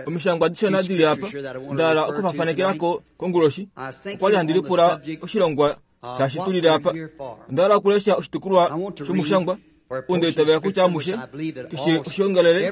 Omishangwa dishona dili apa nda hala okufafanekelako konguloshi. Okwali handi lipula oshilongwa shaashi tu lile apa. Onda hala okulesha oshitukulwa shomushangwa ou nda itavela kutya amushe, keshe oshiongalele,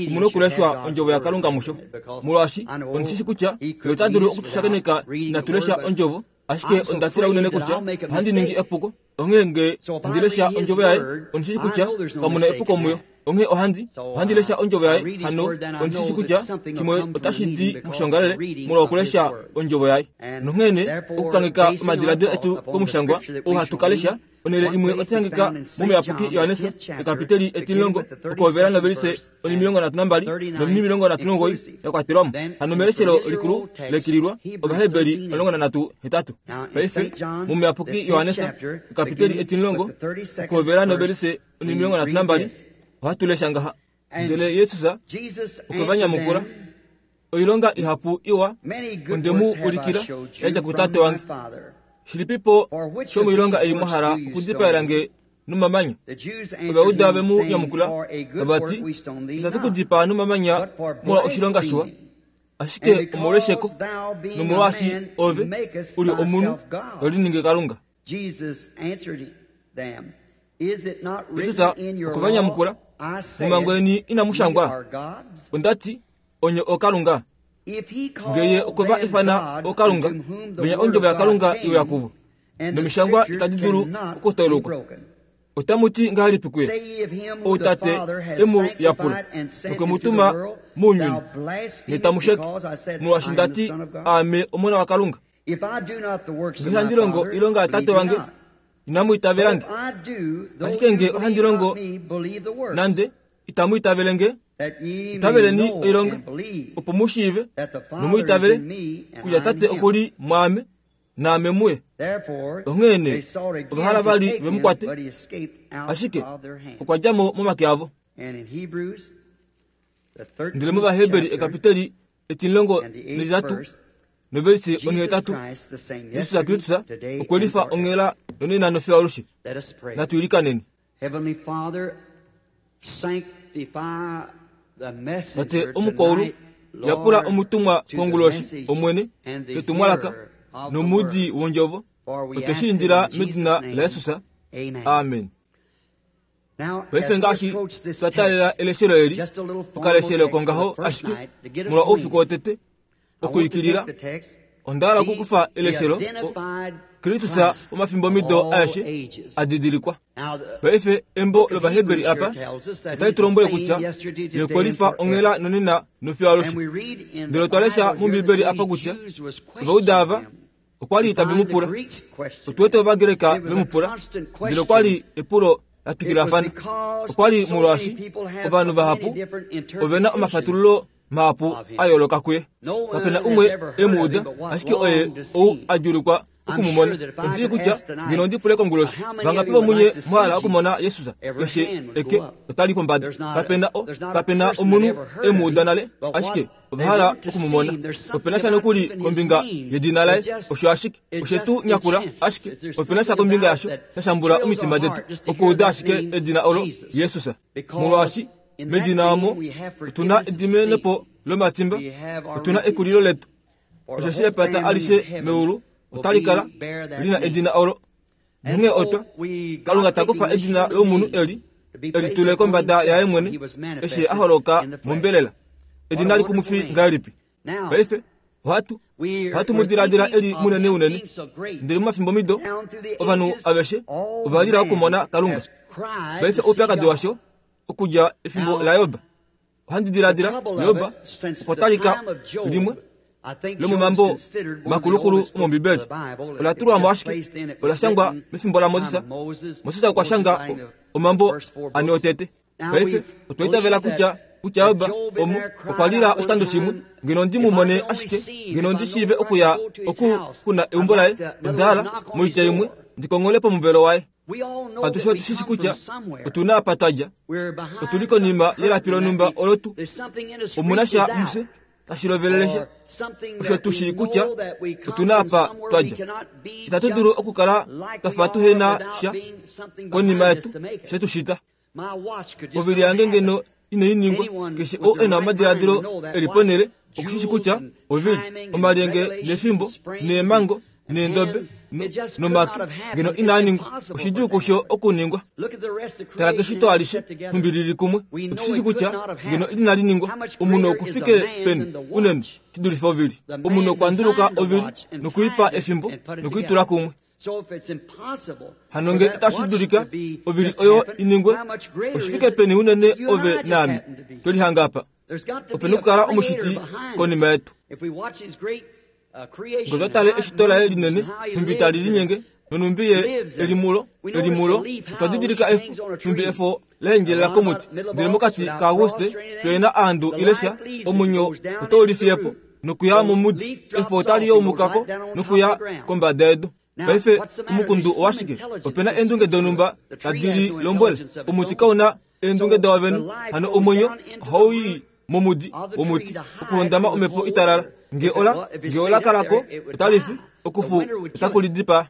omu na okuleshwa Ondjovo yaKalunga musho. Molwaashi ondi shi shi kutya Ye ota dulu okutushakeneka inatu lesha Ondjovo, ashike onda tila unene kutya ohandi ningi epuko. Onghee nge handi lesha Ondjovo Yaye, ondi shi shi kutya kamu na epuko muyo. Onghee ohandi, ohandi lesha Ondjovo Yaye, hano ondi shi shi kutya shimwe otashi di moshiongalele molwa okulesha Ondjovo Yaye. Nonghee nee, okukangeka omadiladilo etu kOmushangwa ou hatu ka lesha, onhele imwe otai hangika mOmuyapuki Johannes, ekapiteli etimulongo, okuhovela novelise onimilongo nhatu nambali nonimilongo nhatu nomugoyi ya kwatelwa mo. Hano meleshelo likulu lekililwa Ovaheberi 13:8. Paife, mOmuyapuki Johannes, ekapiteli etimulongo, okuhovela novelise onimilongo nhatu nambali, ohatu lesha ngaha, Ndele Jesus okwe va nyamukula, Oilonga ihapu iwa onde mu ulikila ya dja kuTate wange. Shilipipo shomoilonga ei mwa hala okudipaela nge nomamanya? Ovajuda ve mu nyamukula tava ti, Itatu ku dipaa nomamanya molwa oshilonga shiwa, ashike omolwesheko, nomolwaashi ove u li omunhu to liningi Kalunga. Jesus answered them, Is it not Jesus written in your okwe va law, nyamukula, I said, Momhango yeni inamu ye shangwa, are gods? onda ti, onye ookalunga. If he Nge ye called okwe va them ifana gods ookalunga, unto whom the venya word ondjovo of God yaKalunga came, iuya kuvo, and the nomishangwa scriptures itadi dulu cannot be okutolokwa. broken. Otamu ti ngahelipi kuye, Say ye of him Ou whom the Tate Father has e mu yapula, sanctified and sent nokwe mu into the tuma world, mounyuni, thou nye blasphemest tamu sheke, because I said, molwaashi I nda am the ti, Son of God? Aame Omona waKalunga? If I do not the works of Nge my handi longo Father, oilonga yaTate believe me wange, not. inamu itavela But nge. if I do, though Ashike you nge ohandi believe longo, not me, believe the works, nande itamu itavele nge, that ye may itaveleni know oilonga, and believe opo mu shiive that the nomu Father is itavele in me and kutya I in Tate him. oku li mwaame naame muye. Therefore, Onghee nee, they sought again ova hala to vali take ve mu him, kwate, but he escaped out ashike of their hand. okwa dja mo momake avo. And in Hebrews, the Ndele 13th mOvaheberi chapter ekapiteli etimulongo and the 8th netitatu verse, novelise Jesus onhetatu, Christ the same Jesus yesterday, Kristus today, okwe and lifa forever. onghela nonena nofiyo alushe. Let us pray. Natu ilikaneni. Heavenly Father, sanctify the Tate messenger omukwaulu tonight, yapula Lord, omutumwa to the konguloshi message Omwene and the ketumwalaka hearer of the nomudi word. wondjovo. For we Otwe ask shi it indila in medina Jesus' name. laJesus. Amen. Amen. Now, as Paife we ngaashi approach this twa taalela text, eleshelo eli, just a little formal okaleshelo text for kongaho the first ashike night to get molwa oufiku acquainted. wotete I want to okuikilila take the text, onda hala the, okukufa the eleshelo identified Kristus Christ of womafimbomido all aeshe ages. a didilikwa. Now, the Paife embo book of lOvaheberi Hebrews here apa tells us that otali he's tu the lombwele same kutya yesterday, ye today, okwe and lifa forever. onghela nonena nofiyo And alushe. we read in Ndele the otwa lesha Bible here that mOmbibeli when apa the kutya Jews was Ovauda ava questioning him, okwa li we tave mu find the pula. Greeks questioned Otu wete him. Ovagreka It ve was mu a pula, constant ndele okwa question. li epulo la It was twikilafana. because Okwa li so many molwaashi people have ovanhu so many vahapu different ove na interpretations omafatululo mahapu of him. a yooloka kuye. No Kape na one has umwe ever e heard mu of uda, him but what ashike oye longed to ou see. a djuulukwa I'm oku mu sure mona. that if I Ondi shii could kutya ask tonight, ngeno ondi pule konguloshi, how many of vangapi you would vomunye like to mwa hala see okumona Jesus? Jesus? Every Keshe hand would eke go up. otali pombada. There's not Kape a, na o, there's not a kape na person that omunhu ever heard e of mu uda him, nale, but ashike what ova they hala want to oku mu see mona. him. There's Ope na something sha about nokuli even his kombinga name yedina that laye, just osho ashike it oshe just tu nyakula, enchants us. ashike There's ope na sha something kombinga about yasho it that sha shambula thrills our omitima detu heart just to hear okuuda that ashike name edina olo Jesus. Jesus. Because Molwaashi in that medina name omo we have otuna forgiveness of edimenepo sin. lomatimba, We have our otuna redemption. ekulilo letu. For the Osheshi whole epata family in alishe heaven meulu will otali be kala bear that lina name. edina olo. And Nonghee so otwa we Kalunga God ta kufa taking this edina human lomunhu being eli to be eli placed tule upon kombada yaye himself when mwene he was eshi a manifested holoka in the flesh. mombelela. What Edina a likumufi wonderful name. ngahelipi? Now, Paife ohatu we're, ohatu mu we're diladila thinking eli of munene him unene being so great. ndele momafimbomwido Down through the ovanhu ages, aveshe all ova lila okumona man Kalunga. has cried Paife to see oupyakadi God. washo okudja efimbo Now, laJob. Ohandi the diladila trouble of Job it, since okwa the talika time of Job, limwe I think Job's lomomambo considered one of the makulukulu oldest books of omOmbibeli. the Bible. Ola It, it was tulwa mo just ashike placed in, it ola was shangwa written mefimbo time laMoses. of Moses, Moses okwa Moses shanga writing the omambo first four ane books. otete. Now Paife we otwa itavela believe kutya that, kutya that Job Job in omu there okwa cried lila out one oshikando shimwe time, ngeno ndi If mu I mone could only ashike see him, ngeno if ndi I know shiive where I could okuya go to his oku house, kuna I'd eumbo like laye to, in other onda words, hala knock on his moitya imwe door. ndikongole pomuvelo waye. We all know Atushe that we otu shi shi come from kutya somewhere. otuna apa twa dja, We're behind otuli some konima yelapi curtain that lonhumba we, olo tu there's something in us omuna reaches sha out. mufye tashi lovelele sha Or something osho that tu we shii kutya know that we come otuna from apa somewhere twa we dja. cannot be Itatu dulu just okukala like twa we fa are tuhena without sha being something konima behind us yetu to make she it. tu shita. My watch could just Ovili not yange happen ngeno inai ningwa. Keshe oo e na omadiladilo e li ponhele okushishi kutya ovili, omalyenge nefimbo, neemhango, neendobe, nomake, ngeno inaa ningwa. Oshidjuu kusho okuningwa. Tala keshito alishe, nhumbi li li kumwe. Otushishi kutya ngeno inali ningwa. Omunhu oku fike peni unene shi dulife ovili? Omunhu okwa nduluka ovili nokuipa efimbo nokuitula kumwe. Hano nge itashi dulika ovili oyo i ningwe, oshi fike peni unene ove naame twe lihanga apa? Ope na okukala omushiti konima yetu. Nge otwa tale eshito laye linene, nhumbi tali linyenge, nonhumbi ye e li mulo, e li mulo, otwa didilika efo, nhumbi efo la endjelela komuti. Ndele mokati kaAguste, pe na aandu ile sha, omwenyo otau lifiye po nokuya momudi. Efo otali youmuka ko nokuya kombada yedu. Paife omukundu owashike? Ope na eendunge donhumba tadi li lombwele. Omuti kau na eendunge dao vene. Hano omwenyo ohau i momudi womuti okuhondama omhepo italala. Nge ola, nge ola kala ko, otali fi, okufu otaku li dipaa.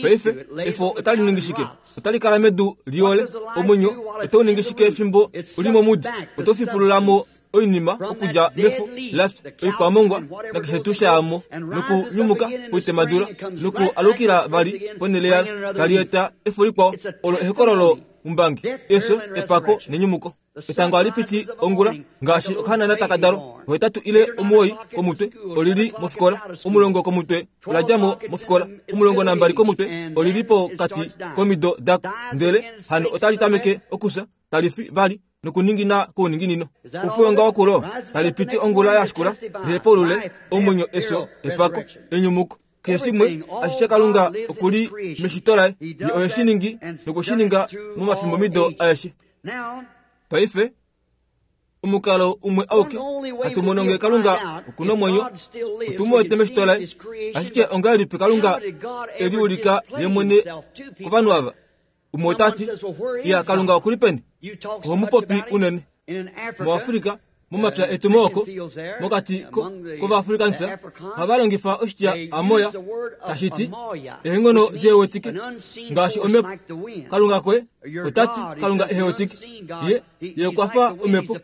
Paife, efo otali ningi shike? Otali kala medu liole. Omwenyo otau ningi shike fimbo u li momudi? Oto fipulula mo oinima okudja mefo lafya, oikwamongwa nakeshe tuu sha ya mo, nokunyumuka poitemadula, nokualukila vali ponhele yalo, tali eta efo likwao. Olo ehokololo umbangi, efyo, epako nenyumuko. Etango ohali piti ongula, ngaashi okahanana taka dalwa, ohetatu ile omuwoi komutwe oli li mofikola, omulongo komutwe ola dja mo mofikola, 12 komutwe oli li pokati komido dako, ndele hano otali tameke okufya, tali fi vali nokuningina kouninginino. Oupulonga wokulo tali piti ongula ya shikula, lihepaulule omwenyo, efyo, epako, enyumuko. Keshe shimwe ashishe Kalunga oku li meshito laye, ye ohe shi ningi noku shi ninga momafimbomido aeshe. Paife, omukalo umwe auke hatu mono ngee Kalunga oku na omwenyo, otu mu wete meshito laye. Ashike ongahelipi Kalunga e liulika ye mwene kovanhu ava? Umwe ota ti, Iya, Kalunga oku li peni? Oho mu popi unene. MuAfrika, momapya etu mooko, mokati kOvaafrikansa, ohava longifa oshitya amoya, tashi ti, eenghono dihewetike, ngaashi omhepo. Kalunga koye, ota ti, Kalunga ehewetike. Ye, ye okwa fa omhepo.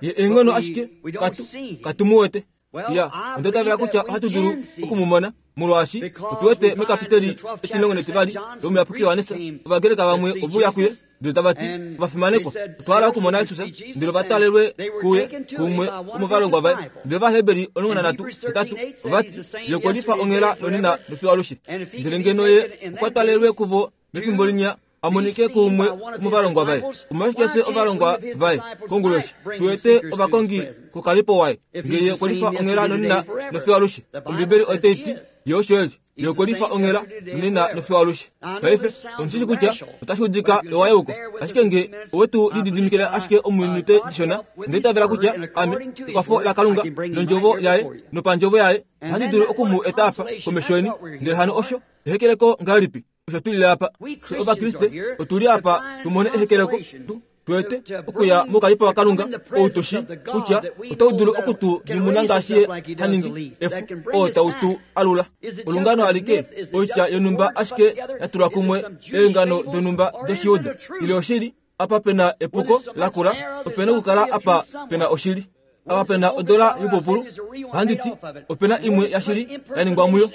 Ye eenghono ashike katu, katu mu wete. Ya, onda itavela kutya ohatu dulu oku mu mona, molwaashi otu wete mekapiteli etimulongo netivali lOmuyapuki Johannes, Ovagreka vamwe ove uya kuye ndele tava ti, Ovafimanekwa, otwa hala okumona Jesus, ndele ova twalelwe kuye kuumwe womovalongwa vaye. Ndele Ovaheberi 13 8 ova ti, Ye okwe lifa onghela nonena nofiyo alushe. Ndele ngeno Ye okwa twalelwe kuvo mefimbo linya, a monike kuumwe womovalongwa vaye. Omolwashike fye ovalongwa vaye konguloshi tu wete ovakongi kokalipo waye? Nge ye okwe lifa onghela nonena nofiyo alushe. Ombibeli otai ti, Ye osho e li. Ye okwe lifa onghela nonena nofiyo alushe. Paife, ondi shi kutya otashi udika ewayeuko, ashike nge owe tu lididimikile ashike ominute dishona, onda itavela kutya ame, ekwafo laKalunga, nOndjovo Yaye, nopandjovo Yaye, ohandi dulu oku mu eta apa komesho yeni. Ndele hano osho ehekeleko ngahelipi? Osho tu lile apa. Fye Ovakriste otu li apa tu mone ehekeleko, tu twete okuya moukalipo waKalunga ou tu shii kutya otau dulu oku tu nyumuna ngaashi ye ha ningi efo oo tau tu alula. Olungano alike, oitya yonhumba ashike ya tulwa kumwe eengano donhumba dOshijuda, ile oshili apa pe na epuko lakula, ope na okukala apa pe na oshili. Apa pe na odola youpupulu, ohandi ti, ope na imwe yashili ya ningwa muyo.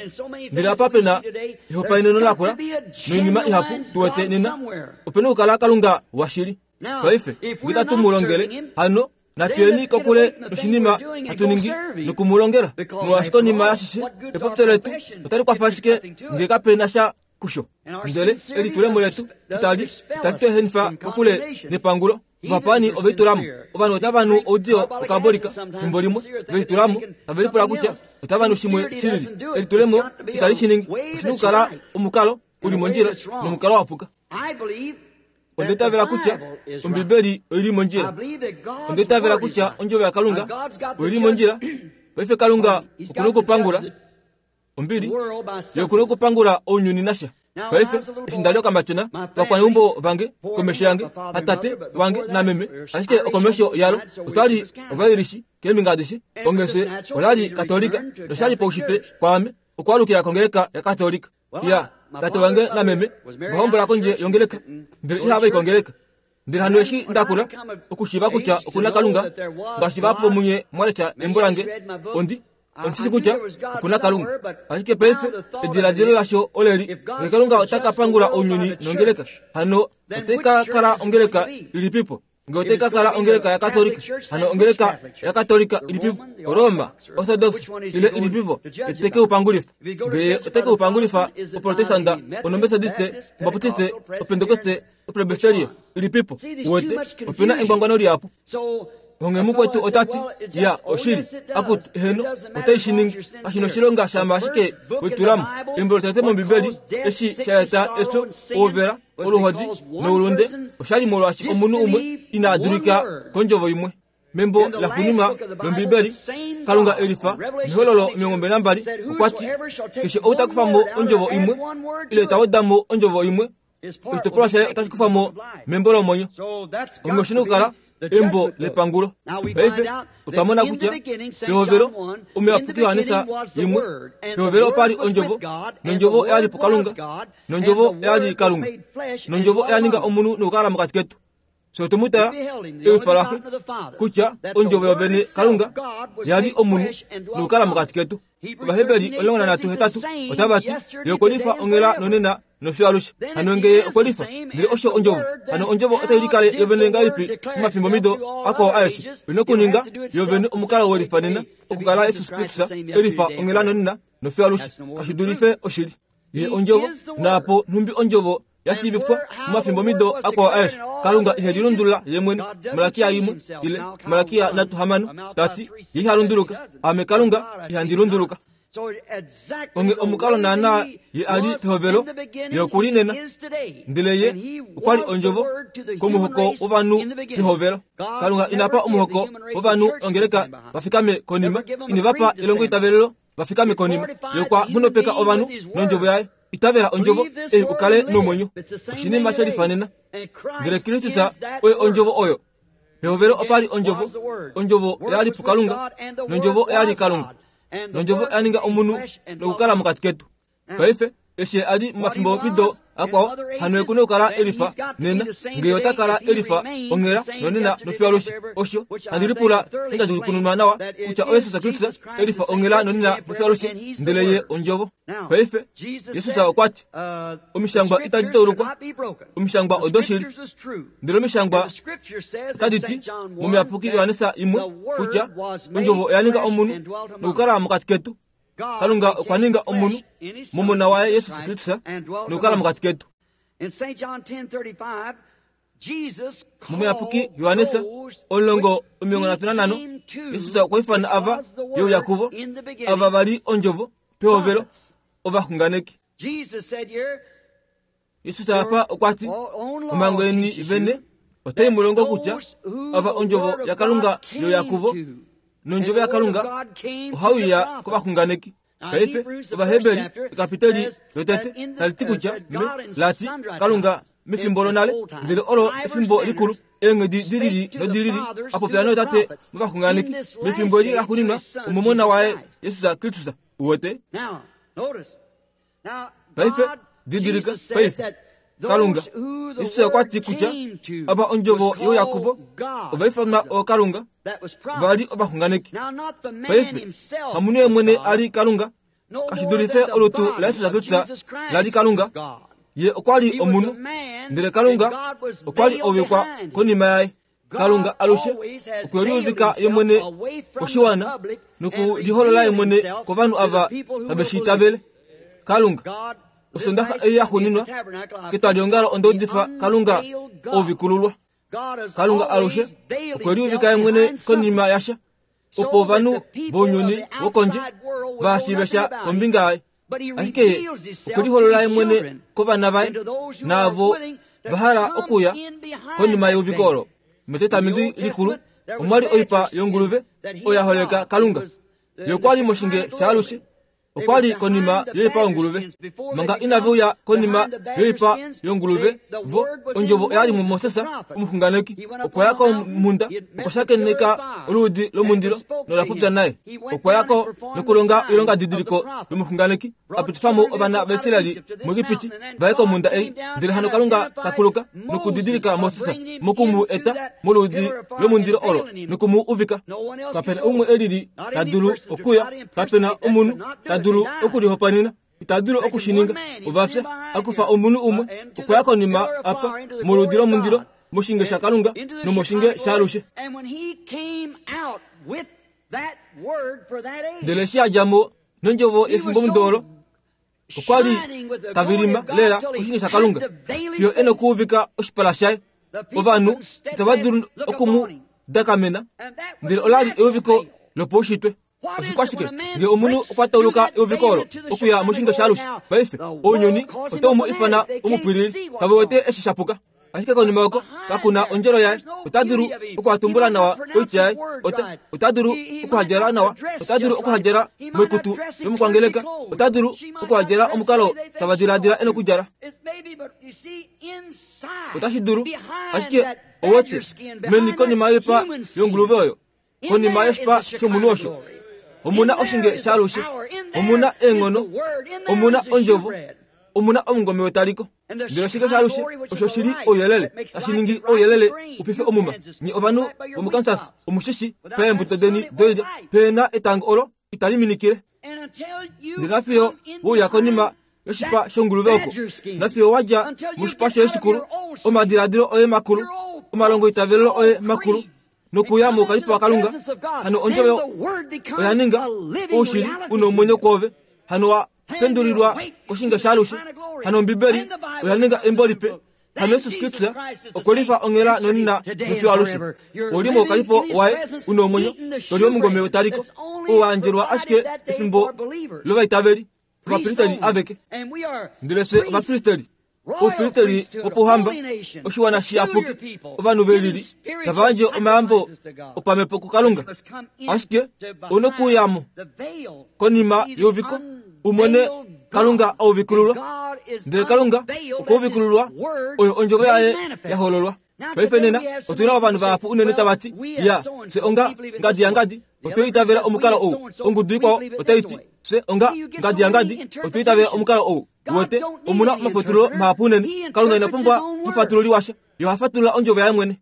Ndele apa pe na ehopaeneno lakula noinima ihapu tu wete nena, ope na okukala Kalunga washili. Paife, nge itatu mu longele, hano natu yeni kokule noshinima hatu ningi noku mu longela. Molwaashi konima yashishe, epopyo letu otali kwafa ashike nge kape na sha kusho. Ndele elitulemo letu itali itali tu ehenifa kokule nepangulo. Ovapaani ove litula mo. Ovanhu otava nu oudiyo wokabolika fimbo limwe. Ove litula mo, tave lipula kutya otava nu shimwe shi lili. Elitulemo itali shi ningi. Oshi na okukala omukalo u li mondjila nomukalo wa puka. Onda itavela kutya Ombibeli oi li mondjila. Onda itavela kutya Ondjovo yaKalunga oi li mondjila. Paife Kalunga oku na okupangula. Ombili, ye oku na okupangula ounyuni nasha. Paife, eshi nda li okamatyona, ovakwaneumbo vange komesho yange, hatate wange nameme, ashike okomesho yalo, otwa li Ovairishi keembinga adishe. Onghee ola li Katolika, nosha li paushitwe kwaame okwaalukila kongeleka yaKatolika. Ya, tate wange nameme ova hombola kondje yongeleka, ndele ihava i kongeleka. Ndele hano eshi nda kula okushiiva kutya oku na Kalunga, ngaashi vahapu vomunye mwa lesha embo lange, ondi ondi shi kutya oku na Kalunga. Ashike paife ediladilo lasho oleli, Ngee Kalunga ota ka pangula ounyuni nongeleka, hano otai ka kala ongeleka ilipipo? Nge otai ka kala ongeleka yaKatolika, hano ongeleka yaKatolika ilipipo? Roma, Orthodox ile ilipipo ite ke u pangulifa? Nge ote ke u pangulifa Oprotestanda, Onomethodiste, Obaptiste, Opentekoste, Opresbiteria ilipipo? Uwete, ope na engwangwano lihapu. Onghee mukwetu ota ti, Ya, oshili. Akutu, eheno, otai shi ningi. Kashi noshilonga shama ashike we tula mo. Embo lotete mOmbibeli, eshi sha eta efyo, ouvela, oluhodi noulunde, osha li molwaashi omunhu umwe ina dulika kondjovo imwe. Membo laxuuninwa lOmbibeli, Kalunga e lifa mehololo 22 okwa ti, Keshe ou ta kufa mo ondjovo imwe, ile ta weda mo ondjovo imwe, oshitopolwa shaye otashi kufa mo membo lomwenyo. Onghee oshi na okukala embo lepangulo. Paife otwa mona kutya pehovelo omuyapuki Johannes imwe, pehovelo opa li ondjovo, nondjovo oya li puKalunga, nondjovo oya li Kalunga, nondjovo oya ninga omunhu nokukala mokati ketu. Fye otwe mu tala ewifa laxe kutya ondjovo yovene Kalunga ya li omunhu nokukala mokati ketu. Ovaheberi 13 otava ti, Ye okwe lifa onghela nonena nofiyo alushe. Hano nge Ye okwe lifa, ndele osho Ondjovo, hano Ondjovo otai likale yovene ngahelipi momafimbomhido akwao aeshe? Oi na okuninga yovene omukalo we lifa nena, okukala Jesus Kristus e lifa onghela nonena nofiyo alushe. Kashi dulife oshili. Ye Ondjovo, naapo nhumbi Ondjovo ya shiivifwa momafimbomido akwao aeshe. Kalunga ihe lilundulula ye mwene. Malakia imwe ile Malakia 3:6 ta ti, Ye iha lunduluka, Aame Kalunga ihandi lunduluka. Onghee omukalo naanaa ye a li pehovelo, ye oku li nena. Ndele ye okwa li ondjovo komuhoko wovanhu pehovelo. Kalunga ina pa omuhoko wovanhu ongeleka va fikame konima, ine va pa elongoitavelelo va fikame konima. Ye okwa nghonopeka ovanhu nondjovo yaye. Itavela ondjovo ei u kale nomwenyo. Oshinima she lifanena. Ndele Kristus oye ondjovo oyo. Pehovelo opa li ondjovo, ondjovo oya li puKalunga, nondjovo oya li Kalunga. Nondjovo oya ninga omunhu nokukala mokati ketu. Paife, eshi a li momafimbo mido akwao, hano ye ku na okukala e lifa nena, nge ota kala e lifa onghela nonena nofiyo alushe. Osho handi lipula sha djukununwa nawa kutya oYesus Kristus e lifa onghela nonena nofiyo alushe, ndele ye Ondjovo. Paife, Jesus okwa ti, Omishangwa itadi taulukwa, omishangwa odoshili. Ndele omishangwa otadi ti, mOmuyapuki Johannes imwe, kutya Ondjovo oya ninga omunhu nokukala mokati ketu. Kalunga okwa ninga omunhu mOmona waye Jesus Kristus nokukala mokati ketu. Momuyapuki Johannes 10:35, Jesus okwa ifana ava ye uya kuvo, ava va li ondjovo pehovelo, ovaxunganeki. Jesus apa okwa ti, Omhango yeni vene otai mu longo kutya ava ondjovo yaKalunga ye uya kuvo, nondjovo yaKalunga ohai uya kovaxunganeki. Paife, Ovaheberi, ekapiteli lotete, tali ti kutya, me, la ti, Kalunga mefimbo lonale, ndele olo efimbo likulu, eenghedi di lili nodi lili, a popya nootate movaxunganeki, mefimbo eli laxuuninwa, omOmona waye, Jesus Kristus. Uwete? Paife, didilika, paife, Kalunga, Jesus okwa ti kutya ava ondjovo youyakuvo ova ifanwa ookalunga, va li ovaxunganeki. Paife, hamunhu ye mwene a li Kalunga, kashi dulife olutu laJesus Kristus la li Kalunga. Ye okwa li omunhu, ndele Kalunga okwa li ovikwa konima yaye. Kalunga alushe okwe liuvika ye mwene koshiwana nokuliholola ye mwene kovanhu ava tave shi itavele. Kalunga, osondaxa ei ya xuuninwa ketwaliongalo onda udifa Kalunga ouvikululwa. Kalunga alushe okwe liuvika ye mwene konima yasha opo ovanhu vounyuni wokondje va shiive sha kombinga yaye. Ashike ye okwe liholola ye mwene kovana vaye naavo va hala okuya konima yeuviko olo. MEtestamenti Likulu omwa li oipa yonguluve oyo ya holeka Kalunga. Ye okwa li moshinge shaalushe. Okwa li konima yoipa yonguluve. Manga inave uya konima yoipa yonguluve, vo, ondjovo oya li muMoses, omuxunganeki. Okwa ya komhunda, okwa shakeneka oluudi lomundilo nola popya naye. Okwa ya ko nokulonga oilongadidiliko yomuxunganeki. a pitifa mo ovana vaIsraeli muEgipiti va ye komhunda ei. Ndele hano Kalunga ta kuluka nokudidilika Moses moku mu eta moludi lomundilo olo noku mu uvika. Kape na umwe e lili ta dulu okuya, kape na omunhu ta dulu okulihopaenena, ita dulu oku shi ninga. Ova fya. A kufa omunhu umwe okwa ya konima apa moludi lomundilo moshinge shaKalunga nomoshinge shaalushe. Ndele eshi a dja mo nondjovo yefimbomudo olo, okwa li ta vilima lela koshinge shaKalunga fiyo e nokuuvika oshipala shaye. Ovanhu itava dulu oku mu dakamena, ndele ola li euviko lopaushitwe. Oshikwashike nge omunhu okwa tauluka euviko olo okuya moshinge shaalushe? Paife ounyuni otau mu ifana omupwilili, kave wete eshi sha puka. Ashike konima oko kaku na ondjelo yaye. Ota dulu okuhatumbula nawa oitya yaye. Ota, ota dulu okuhadjala nawa. Ota dulu okuhadjala moikutu yomukwangeleka. Ota dulu okuhadjala omukalo tava diladila e nokudjala. Otashi dulu, ashike owete, meni konima yoipa yonguluve oyo, konima yoshipa shomunhu osho, omu na oshinge shaalushe, omu na eenghono, omu na ondjovo, omu na omungome wetaliko. Ndele oshinge shaalushe osho shi li ouyelele, tashi ningi ouyelele u pife omuma. Nye ovanhu vomuKansas omu shi shi, peembuto deni doilya pe na etango olo itali minikile. Ndele nafiyo we uya konima yoshipa shonguluve oko, nafiyo wa dja moshipa shoye shikulu, omadiladilo oye makulu, omalongoitavelelo oye makulu, nokuya moukalipo waKalunga, hano ondjovo oya ninga oushili u nomwenyo kwoove, hano wa pendulilwa koshinge shaalushe, hano Ombibeli oya ninga embo lipe, hano Jesus Kristus okwe lifa onghela nonena nofiyo alushe. Ou li moukalipo waye u nomwenyo, to li omungome wetaliko, oo wa yandjelwa ashike efimbo lovaitaveli, ovapristeli aveke. Ndele fye ovapristeli, oupristeli wopouhamba, oshiwana shiyapuki, ovanhu ve lili, tava yandje omayambo opamhepo kuKalunga. Ashike ou nokuuya mo konima yeuviko u mone Kalunga a uvikululwa. Ndele Kalunga okwa uvikululwa oyo ondjovo yaye ya hololwa. Paife nena otu na ovanhu vahapu unene tava ti, Ya, fye onga ngadi yangadi, otwe itavela omukalo ou. Ongudu ikwao otai ti, Fye onga ngadi yangadi, otwe itavela omukalo ou. Uwete, omu na omafatululo mahapu unene. Kalunga ina pumbwa omufatululi washa. Ye oha fatulula ondjovo yaye mwene.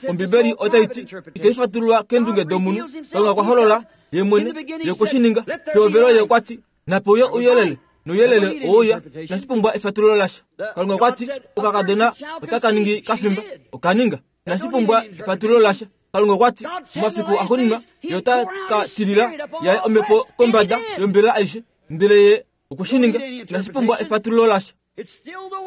Ombibeli otai ti, Itai fatululwa keendunge domunhu. Kalunga okwa holola ye mwene. Ye okwe shi ninga. Pehovelo ye okwa ti, Nape uye ouyelele, nouyelele oweuya, inashi pumbwa efatululo lasha. Kalunga okwa ti, Okakadona otaka ningi kafimba. Oka ninga. Inashi pumbwa efatululo lasha. Kalunga okwa ti, Momafiku axuuninwa Ye ota ka tilila yaye omhepo kombada yombelela aishe. Ndele Ye okwe shi ninga. Inashi pumbwa efatululo lasha.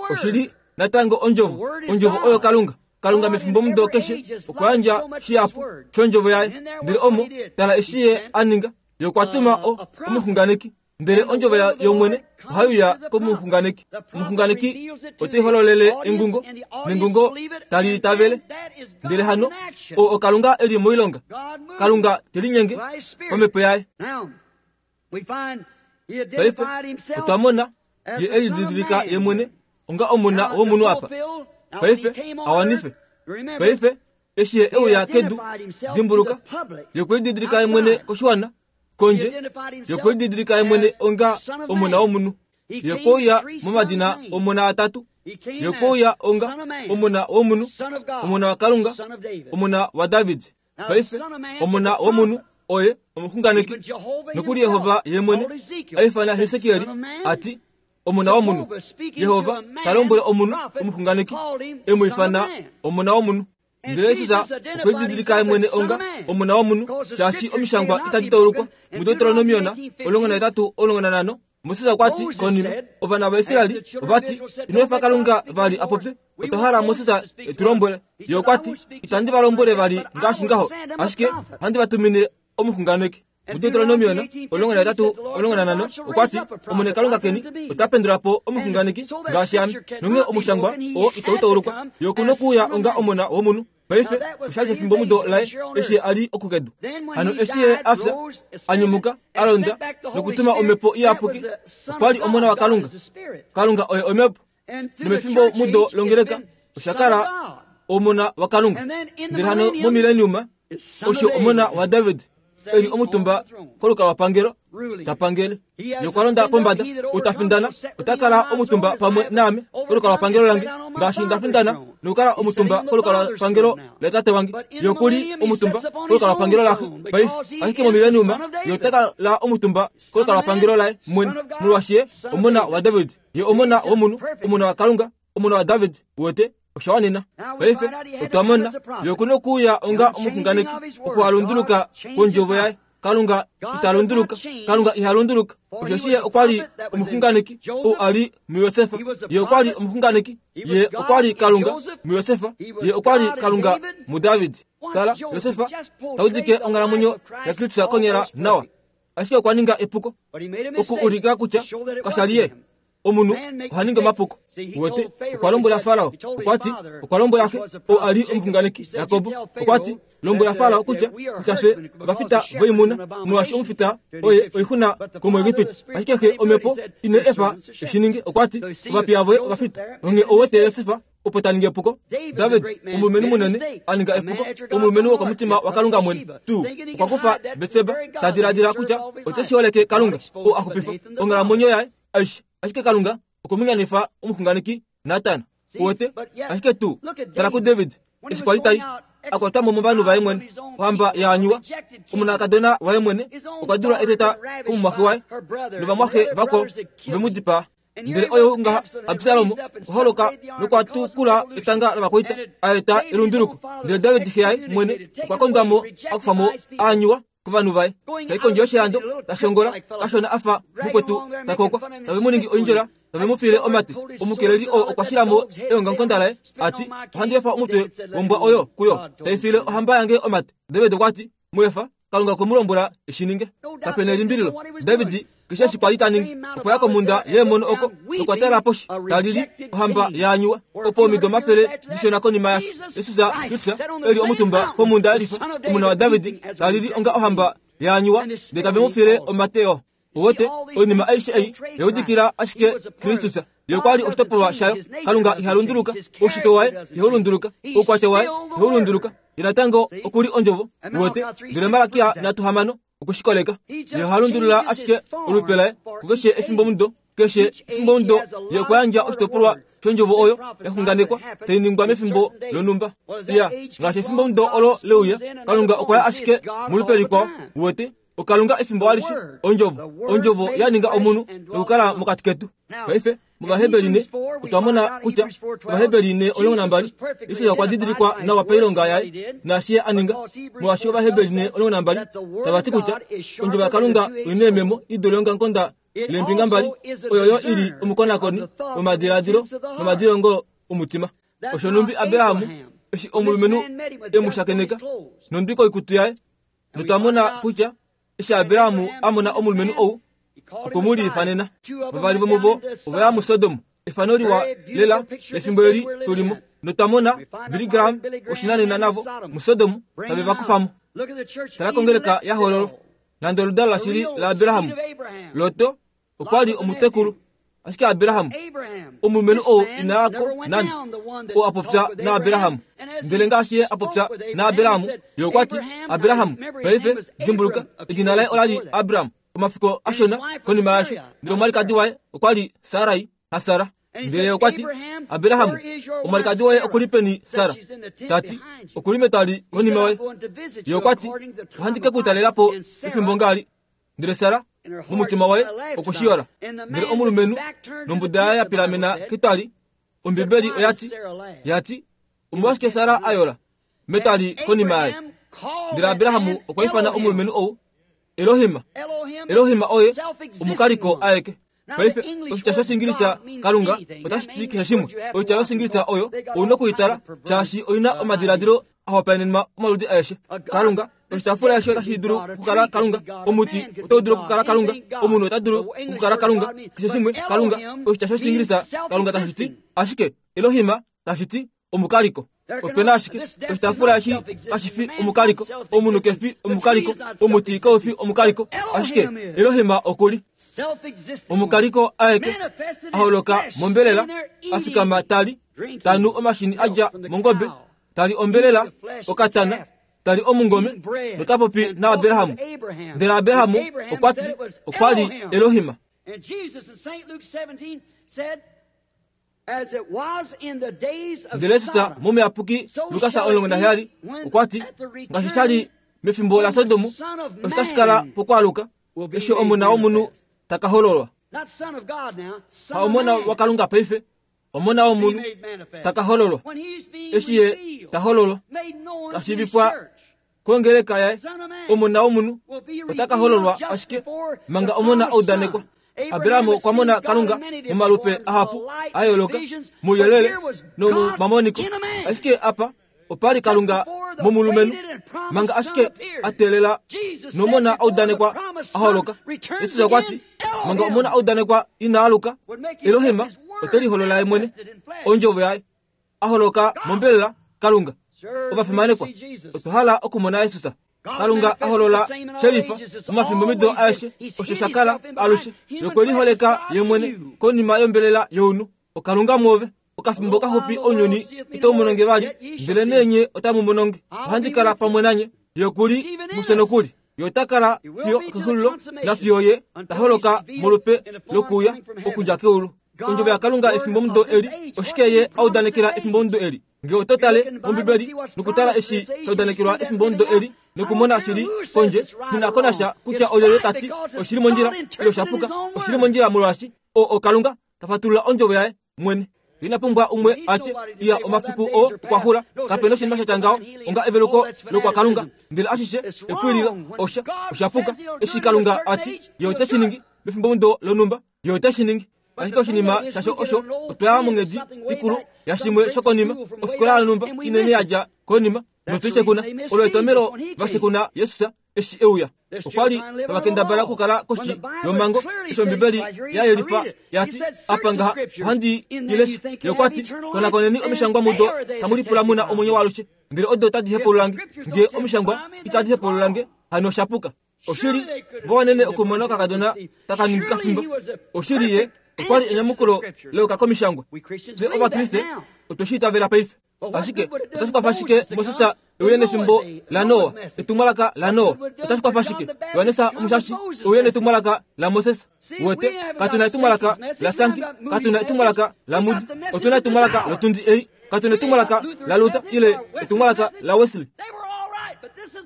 Oshi li natango Ondjovo. Ondjovo oyo Kalunga. Kalunga mefimbomudo keshe okwa yandja shihapu shOndjovo yaye. Ndele omo, tala eshi Ye a ninga. Ye okwa tuma o, omuxunganeki. Ndele ondjovo yOmwene ohai uya komuxunganeki. Omuxunganeki ote hololele engungo, nengungo tali itavele. Ndele hano, oo oKalunga e li moilonga. Kalunga te linyenge pamhepo yaye. Paife otwa mona ye e lididilika ye mwene onga omona womunhu apa. Paife a wanife. Paife eshi ye e uya kedu, dimbuluka, ye okwe lididilika ye mwene koshiwana, kondje, ye okwe lididilika ye mwene onga omona womunhu. Ye okwe uya momadina omona atatu. Ye okwe uya onga omona womunhu, omona waKalunga, omona waDavid. Paife, omona womunhu oye omuxunganeki. Nokuli Jehova ye mwene a ifana Hesekiel a ti, Omona womunhu. Jehova ta lombwele omunhu omuxunganeki, e mu ifana omona womunhu. Ndele Jesus okwe lididilika ye mwene onga omona womunhu, shaashi omishangwa itadi taulukwa. MuDeuteronomion 18, 15, Moses okwa ti konima, ovana vaIsraeli ova ti, Ino efa Kalunga vali a popye, otwa hala Moses e tu lombwele. Ye okwa ti, Itandi va lombwele vali ngaashi ngaho, ashike ohandi va tumine omuxunganeki. MuDeuteronomion 18, 15 okwa ti, Omwene Kalunga keni ota pendula po omuxunganeki ngaashi ame, nonghee omushangwa oo itau taulukwa. Ye oku nokuuya onga omona womunhu. Paife osha li shefimbomudo laye eshi a li okukedu. Hano eshi ye a fya, a nyumuka, a londa nokutuma Omhepo Iyapuki, okwa li Omona waKalunga. Kalunga oye Omhepo. Nomefimbo mudo longeleka osha kala Omona waKalunga. Ndele hano momileniuma osho Omona waDavid. e li omutumba kolukalwapangelo ta pangele. Ye okwa londa pombada, ou ta findana ota kala omutumba pamwe naame kolukalwapangelo lange, ngaashi nda findana nokukala omutumba kolukalwapangelo laTate wange. Ye oku li omutumba kolukalwapangelo laXe paife, ashike momileniuma ye ota kala omutumba kolukalwapangelo laye mwene, molwaashi ye Omona waDavid. Ye Omona womunhu, Omona waKalunga, Omona waDavid. Uwete? Osha wanena. Paife otwa mona ye oku nokuuya onga omuxunganeki, okuhalunduluka kwondjovo yaye. Kalunga ita lunduluka. Kalunga iha lunduluka. Osheshi ye okwa li omuxunganeki ou a li muJosef. Ye okwa li omuxunganeki. Ye okwa li Kalunga muJosef. Ye okwa li Kalunga muDavid. Tala, Josef ta udike onghalamwenyo yaKristus konyala nawa. Ashike okwa ninga epuko oku ulika kutya kasha li ye. Omunhu oha ningi omapuko. Uwete, okwa lombwela Farao, okwa ti, okwa lombwela xe, oo a li omuxunganeki, Jakob, okwa ti, lombwela Farao kutya, kutya fye ovafita voimuna, molwaashi omufita oye oixuna komuEgipiti. Ashike xe, omhepo, ine efa e shi ninge, okwa ti, ovapiya voye ovafita. Onghee ou wete Josef opo ta ningi epuko? David, omulumenhu munene, a ninga epuko, omulumenhu wokomutima waKalunga mwene tuu, okwa kufa Betseba, ta diladila kutya ote shi holeke Kalunga, oo a xupifa onghalamwenyo yaye aishe. Ashike Kalunga okwe mu nyanifa omuxunganeki Natan. Uwete? Ashike tuu, tala kuDavid, eshi kwa li tai a kwatwa mo movanhu vaye mwene, ohamba ya anyuwa, omonakadona waye mwene okwa dula eteta komumwaxe waye, novamwaxe vakwao ove mu dipaa. Ndele oyo ngaha Absalom okwa holoka nokwa tukula etanga lovakwaita, a eta elunduluko. Ndele David xe yaye mwene okwa kondwa mo, a kufa mo a anyuwa kovanhu vaye, tai kondje yoshilando, ta shongola kashona a fa mukwetu ta kokwa, tave mu ningi oindjola, tave mu fiile omate. Omukeleli oo okwa shila mo eongamukonda laye, a ti, Ohandi efa omutwe wombwa oyo kuyo, tai fiile ohamba yange omate. David okwa ti, Mu efa, Kalunga okwe mu lombwela e shi ninge. Kape na elimbililo, David keshe eshi kwa li ta ningi, okwa ya komhunda yeemono oko nokwa tala poshi, ta lili ohamba ya anyuwa. Opo omido omafele dishona konima yasho, Jesus Kristus e li omutumba komhunda yelifa, omona waDavid, ta lili onga ohamba ya anyuwa, ndele tave mu file omate oo. Uwete, oinima aishe ei ya udikila ashike Kristus. Ye okwa li oshitopolwa shayo. Kalunga iha lunduluka. Oushitwe waye ihau lunduluka. Oukwatya waye ihau lunduluka. Ye natango oku li Ondjovo. Uwete? Ndele Malakia 3:6 okwe shi koleka. Ye oha lundulula ashike olupe laye kukeshe efimbomudo. Keshe efimbomudo ye okwa yandja oshitopolwa shondjovo oyo ya xunganekwa tai ningwa mefimbo lonhumba. Iya, ngaashi efimbomudo olo le uya, Kalunga okwa ya ashike molupe likwao. Uwete? OKalunga efimbo alishe, Ondjovo, Ondjovo ya ninga omunhu nokukala mokati ketu. Paife, mOvaheberi ne, otwa mona kutya, Ovaheberi ne 12, Jesus okwa didilikwa nawa pailonga yaye naashi ye a ninga, molwaashi Ovaheberi ne 12 tava ti kutya Ondjovo yaKalunga oi neememo i dule ongangonda leembinga mbali, oyo yo i li omukonakoni womadiladilo nomadilongo omutima. Osho nhumbi Abraham, eshi omulumenhu e mu shakeneka, nondwi koikutu yaye, Notwa mona kutya eshi Abraham a mona omulumenhu ou, okwe mu liifanena. Vavali vomuvo ova ya muSodom, efano liwa lela lefimbo eli tu li mo. Notwa mona Billy Graham woshinanena navo muSodom tave va kufa mo. Tala kongeleka ya hoololwa, nande oludalo lashili laAbraham, Lot okwa li omutekulu. Ashike Abraham, omulumenhu ou ina ya ko nande, oo a popya naAbraham. Ndele ngaashi ye a popya naAbraham, ye okwa ti, Abraham, paife, dimbuluka, edina laye ola li Abram, omafiku ashona konima yaasho. Ndele omwalikadi waye okwa li Sarai, haSara. Ndele ye okwa ti, Abraham, omwalikadi woye oku li peni, Sara? Ta ti, Oku li metwali konima yoye. Ye okwa ti, Ohandi ke ku talela po efimbo ngaali. Ndele Sara momutima waye okwe shi yola. Ndele omulumenhu nombuda yaye ya pilamena ketwali, Ombibeli oya ti, ya ti, Omolwashike Sara a yola metwali konima yaye? Ndele Abraham okwa ifana omulumenhu ou Elohim. Elohim oye omukaliko aeke. Paife, oshitya shOshiingilisa Kalunga otashi ti keshe shimwe. Oitya yOshiingilisa oyo ou na oku i tala, shaashi oi na omadiladilo a hopaenenwa omaludi aeshe. Kalunga, oshitaafula eshi otashi dulu okukala Kalunga, omuti otau dulu okukala Kalunga, omunhu ota dulu okukala Kalunga, keshe shimwe Kalunga. Oshitya shOshiingilisa Kalunga tashi ti ashike Elohim tashi ti omukaliko. Ope na ashike oshitaafula eshi kashi fi omukaliko, omunhu ke fi omukaliko, omuti kau fi omukaliko, ashike Elohim oku li omukaliko aeke, a holoka mombelela, a fikama ta li, ta nu omashini a dja mongobe, ta li ombelela, okatana. Ta li omungome nota popi naAbraham. Ndele Abraham okwa ti okwa li Elohim. Ndele Jesus momuyapuki Lukas 17 okwa ti, Ngaashi sha li mefimbo laSodom, osho tashi kala pokwaaluka, eshi Omona wOmunhu ta ka hololwa. Ha Omona waKalunga paife, Omona wOmunhu ta ka hololwa. Eshi Ye ta hololwa, ta shiivifwa kongeleka yaye, Omona wOmunhu ota ka hololwa ashike manga Omona a udanekwa. Abraham okwa mona Kalunga momalupe ahapu a yooloka, mouyelele nomomamoniko, ashike apa opa li Kalunga momulumenhu manga ashike a teelela nomona a udanekwa a holoka. Jesus okwa ti, manga omona a udanekwa ina aluka, Elohim ote liholola ye mwene, ondjovo yaye, a holoka mombelela Kalunga. Ovafimanekwa, otwa hala okumona Jesus. Kalunga a holola shelifa momafimbomido aeshe osho sha kala alushe nokwe liholeka ye mwene konima yombelela younhu. Okalunga mwoove, okafimbo kaxupi ounyuni itau mono nge vali, ndelenee nye otamu mono nge. Ohandi kala pamwe nanye, ye oku li mufye nokuli. Ye ota kala fiyo okexulilo, nafiyo ye ta holoka molupe lokuuya okudja keulu. Ondjovo yaKalunga efimbomudo eli, oshike ye a udanekela efimbomudo eli? Nge oto tale mOmbibeli nokutala eshi sha udanekelwa efimbomudo eli nokumona shi li kondje, nghi na ko nasha kutya olyelye ta ti oshi li mondjila ile osha puka, oshi li mondjila molwaashi o, oKalunga ta fatulula ondjovo yaye mwene. Ina pumbwa umwe a tye, Iya, omafiku oo okwa xula. Kape noshinima sha tya ngaho onga eveluko lokwaKalunga. Ndele ashishe epwililo, osha, osha puka. Eshi Kalunga a ti Ye ote shi ningi mefimbomudo lonhumba, Ye ote shi ningi. Ashike oshinima shasho osho, otwa ya monghedi ikulu yashimwe shokonima, ofikola yonhumba inene ya dja konima, notu i shekuna. Olo etomhelo va shekuna Jesus eshi e uya. Okwa li tava kendabala okukala koshi yomhango, eshi Ombibeli ya yelifa ya ti, Apa ngaha ohandi i lesha. Ye okwa ti, Konakoneni omishangwa mudo tamu lipula mu na omwenyo waalushe, ndele odo otadi hepaulula nge. Nge omishangwa itadi hepaulula nge, hano osha puka. Oshili, vo wanene okumona okakadona taka ningi kafimbo. Oshili ye okwa li enyamukulo leuka komishangwa. Fye Ovakriste otwe shi itavela paife. Ashike otashi kwafa shike Moses e uye nefimbo laNoa, etumwalaka laNoa? Otashi kwafa shike Johannes Omushashi e uye netumwalaka laMoses? Uwete, katu na etumwalaka laSanki, katu na etumwalaka laMoody, otu na etumwalaka lotundi ei. Katu na etumwalaka laLuther ile etumwalaka laWesley.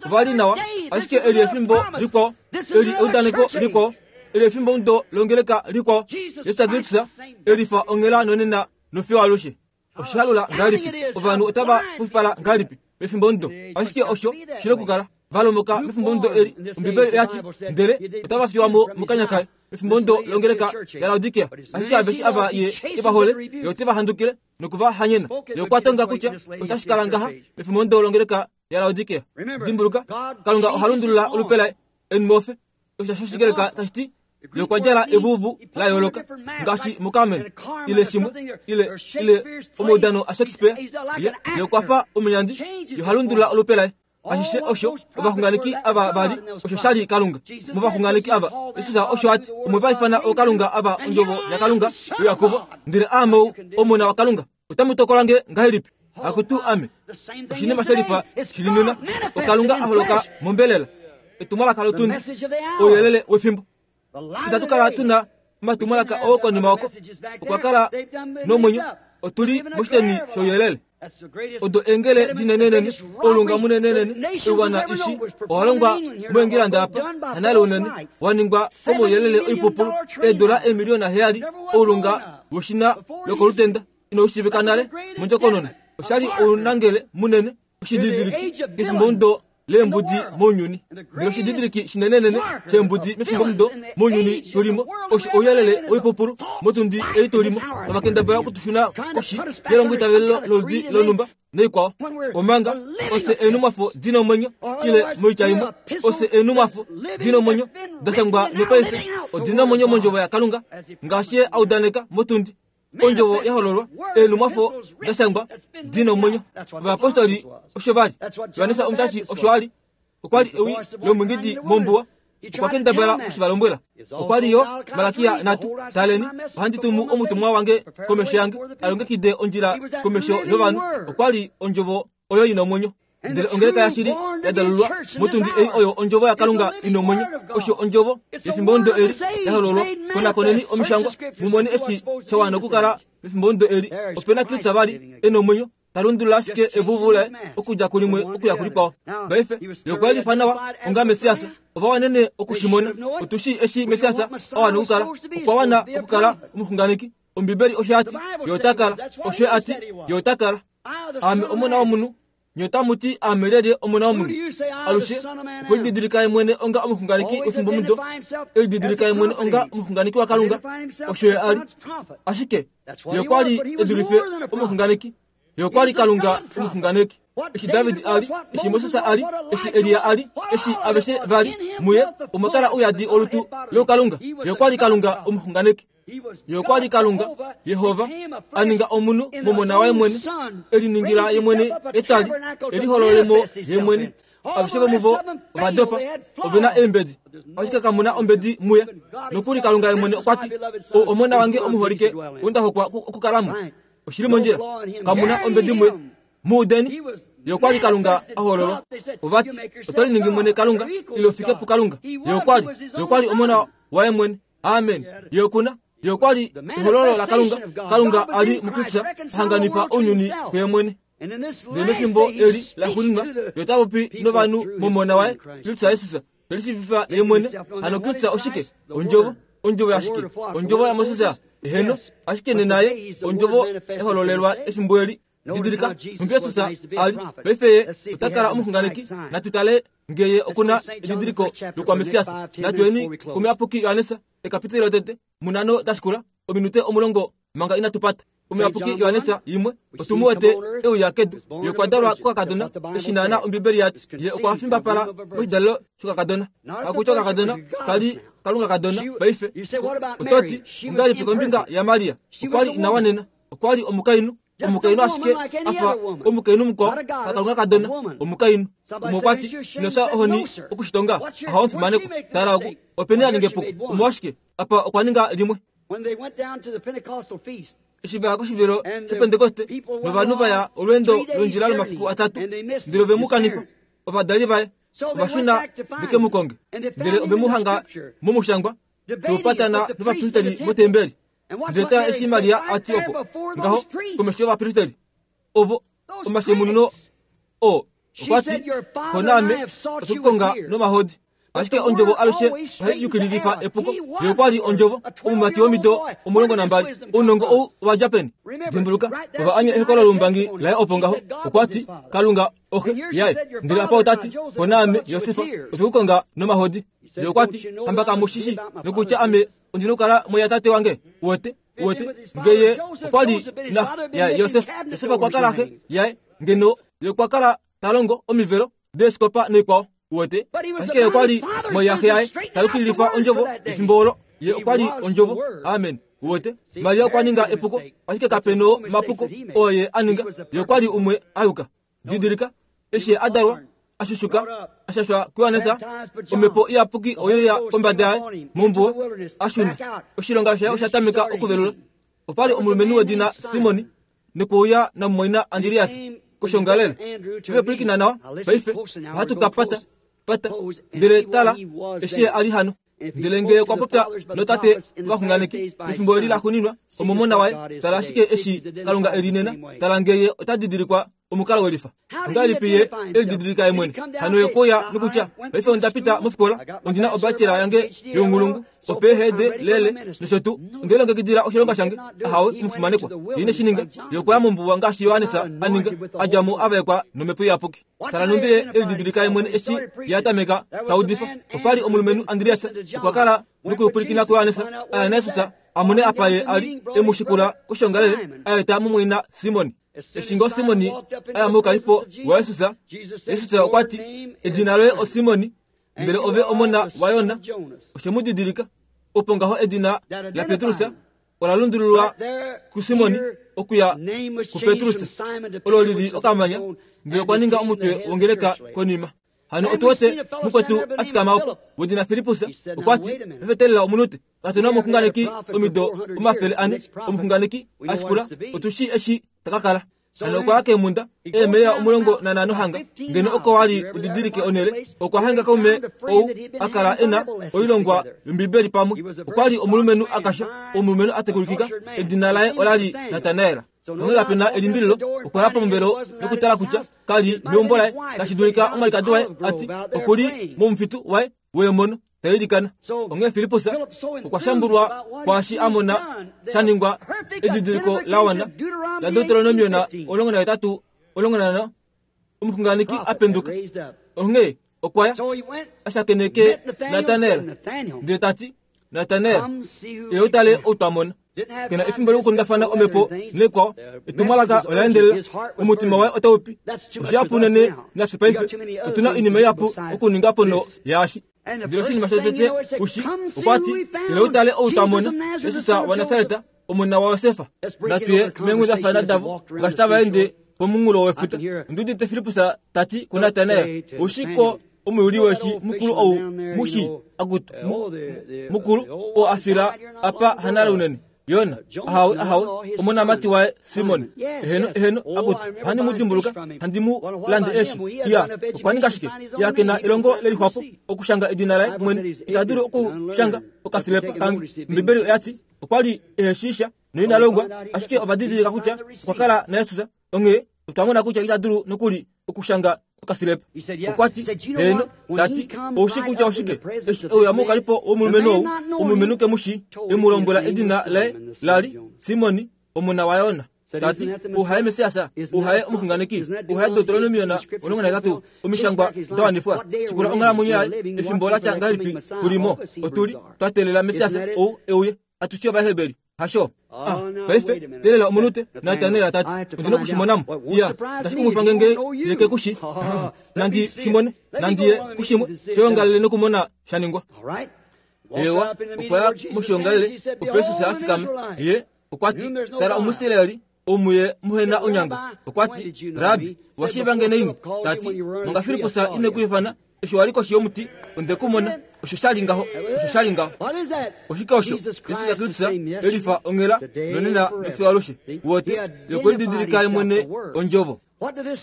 Ova li nawa, ashike eli efimbo likwao, eli eudaneko likwao, eli efimbomudo longeleka likwao. Jesus Kristus e lifa onghela nonena nofiyo alushe. Oshihalula ngahelipi! Ovanhu otava pufipala ngahelipi mefimbomudo! Ashike osho shi nokukala. Va lomoka mefimbomudo eli, Ombibeli oya ti, ndele otava fiwa mo mokanya kaye. Mefimbomudo longeleka yaLaodikea, ashike aveshe ava ye e va hole, ye ote va handukile noku va hanyena. Ye okwa tonga kutya otashi kala ngaha mefimbomudo longeleka yaLaodikea. Dimbuluka, Kalunga oha lundulula olupe laye, enmofe, osho shOshigreka tashi ti ye okwa djala evuvu la yooloka ngaashi muCarmen ile shimwe ile ile omaudano aShakespeare. Ye ye okwa fa omunyandi, ye oha lundulula olupe laye. Ashishe osho ovaxunganeki ava va li, osho sha li Kalunga movaxunganeki ava. Jesus osho a ti, Omwe va ifana ookalunga ava ondjovo yaKalunga yoYakobo, ndele aame ou Omona waKalunga. Otamu tokola nge ngahelipi? Akutu ame, oshinima she lifa shi li nena, oKalunga a holoka mombelela, etumwalaka lotundi, ouyelele wefimbo. Itatu kala tu na omatumwalaka oo konima oko. Okwa kala nomwenyo, otu li moshiteni shouyelele. Odo eengele dinenenene, oulunga munenenene, oiwana ishi owa longwa moEngilanda apa, hanale unene, wa ningwa komauyelele oipupulu, eedola eemiliyona heyali, oulunga woshina lokolutenda inau shiivika nale mondjokonona. Osha li ounangele munene, oshididiliki kefimbomudo leembudi mounyuni. Ndele oshididiliki shinenenene sheembudi mefimbomudo mounyuni tu li mo osho ouyelele woipupulu motundi ei tu li mo, tava kendabala oku tu shuna koshi yelongoitavelelo loludi lonhumba naikwao. Omanga ofye eenhumwafo di na omwenyo, ile moitya imwe, ofye eenhumwafo di na omwenyo da shangwa nopaife odi na omwenyo mondjovo yaKalunga ngaashi ye a udaneka motundi. Ondjovo ya hololwa, eenhumwafo da shangwa di na omwenyo. Ovayapostoli osho va li. Johannes Omushashi osho a li. Okwa li ewi lomwiingidi mombuwa. Okwa kendabala oku shi va lombwela. Okwa li yo Malakia nhatu, Taleni, ohandi tumu omutumwa wange komesho yange, a longekide ondjila komesho yovanhu. Okwa li ondjovo oyo i na omwenyo. Ndele ongeleka yashili ya dalulwa motundi ei oyo ondjovo yaKalunga i nomwenyo, osho ondjovo yefimbomudo eli ya hololwa. Konakoneni omishangwa mu mone eshi sha wana okukala mefimbomudo eli. Ope na Kristus vali e nomwenyo, ta lundulula ashike evuvu laye okudja kulimwe okuya kulikwao. Paife, ye okwa yelifa nawa onga Messias. Ova wanene oku shi mona. Otu shii eshi Messias a wana okukala. Okwa wana okukala omuxunganeki. Ombibeli osho ya ti, Ye ota kala. Osho a ti, Ye ota kala. Aame Omona womunhu. Nye otamu ti aame lyelye Omona womunhu? Alushe okwe lididilika ye mwene onga omuxunganeki wefimbomudo, e lididilika ye mwene onga omuxunganeki waKalunga. Osho ye a li. Ashike ye okwa li e dulife omuxunganeki. Ye okwa li Kalunga omuxunganeki. Eshi David a li, eshi Moses a li, eshi Elia a li, eshi aveshe va li, muye omwa kala ouyadi olutu loukalunga. Ye okwa li Kalunga omuxunganeki. Ye okwa li Kalunga, Yehova, a ninga omunhu momona waye mwene, e liningila ye mwene etwali, e liholole mo ye mwene. Aveshe vomuvo ova dopa, ove na eembedi, ashike kamu na ombedi muye. Nokuli Kalunga ye mwene okwa ti, Ou omona wange omuholike, ou nda hokwa okukala mo. Oshi li mondjila, kamu na ombedi muye. Mu udeni, ye okwa li Kalunga a hololwa. Ova ti, Oto liningi mwene Kalunga, ile u fike puKalunga. Ye okwa li, ye okwa li omona waye mwene. Amen. Ye oku na. Ye okwa li ehololo laKalunga. Kalunga a li muKristus a hanganifa ounyuni kuye mwene. Ndele mefimbo eli laxuuninwa, ye ota popi novanhu mOmona waye, Kristus Jesus, te lishiivifa ye mwene. Hano Kristus oshike? Ondjovo. Ondjovo yashike? Ondjovo yaMoses? Eheno. Ashike nena ye Ondjovo ya hololelwa efimbo eli. Didilika, nhumbi Jesus a li. Paife ye ota kala omuxunganeki. Natu tale nge ye oku na edidiliko lokwamessias. Natu yeni kOmuyapuki Johannes, ekapiteli lotete, munhano da shikula, ominute omulongo manga inatu pata. Omuyapuki Johannes yimwe, otu mu wete e uya kedu. Ye okwa dalwa kokakadona, eshi naana Ombibeli ya ti. Ye okwa fimbapala moshidalelo shokakadona. Hakutya okakadona ka li Kalunga kadona, paife. Oto ti, Ongahelipi kombinga yaMaria? Okwa li ina wanena. Okwa li omukainhu, omukainhu ashike a fa omukainhu mukwao, hakalunga kadona, omukainhu. Umwe okwa ti, Ino fya ohoni oku shi tonga? Ahawe omufimanekwa. Tala oku, openi a ninga epuko? Omolwashike, apa okwa ninga limwe. Eshi va ya koshivilo shOpentekoste, novanhu va ya olweendo londjila lomafiku atatu, ndele ove mu kanifa. Ovadali vaye ova shuna ve ke mu konge, ndele ove mu hanga momushangwa, tau patana novapristeli motembeli. Ndele tala eshi Maria a ti opo ngaho komesho yovapristeli ovo omashemununo oo okwa ti, Xo naame otwe ku konga nomahodi. Ashike ondjovo alushe ohai yukililifa epuko. Ye okwa li ondjovo, omumati womido 12. Ounongo ou owa dja peni? Dimbuluka, ova anya ehokolo loumbangi laye opo ngaho. Okwa ti, Kalunga oxe yaye. Ndele apa ota ti, Xo naame, Josef, otwe ku konga nomahodi. Ye okwa ti, Hamba kamu shi shii nokutya ame ondi nokukala moyatate wange? Uwete? Uwete? Nge ye okwa li naxe yaJosef, Josef okwa kala xe yaye, ngeno ye okwa kala ta longo omivelo deeskopa noikwao. Uwete? Ashike ye okwa li moyaxe yaye, ta yukililifa ondjovo yefimbo olo. Ye okwa li ondjovo. Amen. Uwete? Maria okwa ninga epuko, ashike kape nomapuko oo ye a ninga. Ye okwa li umwe a yuka. Didilika, eshi ye a dalwa, a shushuka, a shashwa kuJohannes, omhepo iyapuki oye ya kombada yaye mombuwa, a shuna. Oshilonga shaye osha tameka okuvelula. Opa li omulumenhu wedina Simon nokwe uya namumwaina Andreas koshoongalele. Ove pwilikina nawa paife, ohatu ka pata, pata. Ndele tala, eshi ye a li hano. Ndele ngee okwa popya notate ovaxunganeki pefimbo eli laxuuninwa, omomona waye, tala ashike eshi Kalunga e li nena, tala ngee ye ota didilikwa omukalo welifa. Ongahelipi ye e lididilika ye mwene? Hano ye okwe uya nokutya, Paife onda pita mofikola, ondi na obachelor yange younghulungu, oPhD, lele, nosho tuu. Onde lilongekidila oshilonga shange. Ahawe, omufimanekwa. Ye ine shi ninga. Ye okwa ya mombuwa ngaashi Johannes a ninga, a dja mo a vaekwa nOmhepo Iyapuki. Tala nhumbi ye e lididilika ye mwene eshi ye a tameka ta udifa. Opa li omulumenhu Andreas, okwa kala nokupwilikina kuJohannes a ya naJesus a mone apa ye a li e mu shikula koshoongalele a eta mumwaina Simon. Eshi ngoo Simon a ya moukalipo waJesus, Jesus okwa ti, Edina loye oSimon, ndele ove omona waJona. Oshe mu didilika. Opo ngaho edina laPetrus ola lundululwa kuSimon okuya kuPetrus, olo li li okamanya, ndele okwa ninga omutwe wongeleka konima. Hano otu wete mukwetu a fikama opo, wedina Filippus, okwa ti, Pefetelela omunute, katu na omuxunganeki omido 400, omuxunganeki a shikula, otu shii eshi ta ka kala. Hano okwa ya keemhunda, eemeya 15 hanga, ngeno oko wa li u didilike onhele, okwa hanga kaume ou a kala e na oilongwa yOmbibeli pamwe. Okwa li omulumenhu a kasha, omulumenhu a tekulikika, edina laye ola li Natanael. Onghee kape na elimbililo, okwa ya pomuvelo nokutala kutya ka li meumbo laye, tashi dulika omwalikadi waye a ti, Oku li momufitu waye weemono, ta ilikana. Onghee Filippus okwa shambulwa kwaashi a mona sha ningwa edidiliko la wana laDeuteronomion 18 15, omuxunganeki a penduka. Onghee okwa ya a shakeneke Natanael ndele ta ti, Natanael, ila u tale ou twa mona. Ke na efimbo lokukundafana omhepo nekwao. Etumwalaka ola endelela. Omutima waye otau pi. Oshihapu unene nafye paife. Otu na oinima ihapu okuninga ponho yaashi. Ndele oshinima shotete ushi, okwa ti, Ila u tale ou twa mona, Jesus waNasaret, omona waJosef. Natu ye meenghundafana davo ngaashi tava ende pomunghulo wefuta. Ondi udite Filippus ta ti kuNatanael, Ou shii ko omuyuli weeshi mukulu ou mu shii? Akutu, mukulu, oo a fila apa hanale unene. Yona, ahawe, ahawe, omonamati waye Simon. Eheno, eheno, akutu, ohandi mu dimbuluka, handi mu lande eeshi. Iya, okwa ninga shike? Iya, ke na elongo le lixwapo okushanga edina laye mwene. Ita dulu okushanga okasilepa kange. Ombibeli oya ti okwa li ehe shii sha noina longwa, ashike ova didilika kutya okwa kala naJesus. Onghee otwa mona kutya ita dulu nokuli okushanga okasilepa. Okwa ti, Heeno, ta ti, ou shii kutya oshike? Eshi e uya moukalipo womulumenhu ou, omulumenhu ke mu shii, e mu lombwela edina laye la li Simon, omona waYona. Ta ti, Ou haye Messias? Ou haye omuxunganeki? Ou haye Deuteronomion 18, Omishangwa da wanifwa? Shikula onghalamwenyo yaye, efimbo la tya ngahelipi tu li mo? Otu li twa teelela Messias ou e uye. Atushe Ovaheberi, hasho? Ah, paife, teelela omunute, Natanael ta ti, Ondi noku shi mona mo. Iya, otashi kumwifa nge nge ye ke ku shi. Nandi shi mone, nandi ye kushimwe shoyongalele nokumona sha ningwa. Eewa, okwa ya moshiongalele, opo Jesus a fikama. Ye okwa ti, Tala Omuisraeli, ou muye muhe na onyango. Okwa ti, Rabbi, owa shiiva nge naini? Ta ti, Manga Filippus ine ku ifana, eshi wa li koshi yomuti, onde ku mona. Osho sha li ngaho. Osho sha li ngaho. Oshike osho? Jesus Kristus e lifa onghela nonena nofiyo alushe. Uwete, Ye okwe lididilika Ye mwene Ondjovo.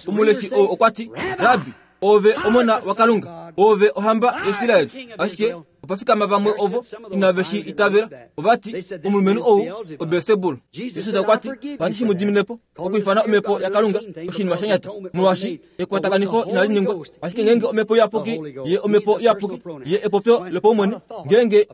Omuleshi ou okwa ti, Rabbi, Oove Omona waKalunga, Oove Ohamba yaIsrael. Ashike opa fikama vamwe ovo inave shi itavela. Ova ti, Omulumenhu ou oBelsebul. Jesus okwa ti, Ohandi shi mu dimine po. Okwiifana omhepo yaKalunga oshinima sha nyata, molwaashi ekwatakanifo inali ningwa. Ashike ngeenge omhepo iyapuki ye omhepo iyapuki ye epopyo lopaumwene, ngeenge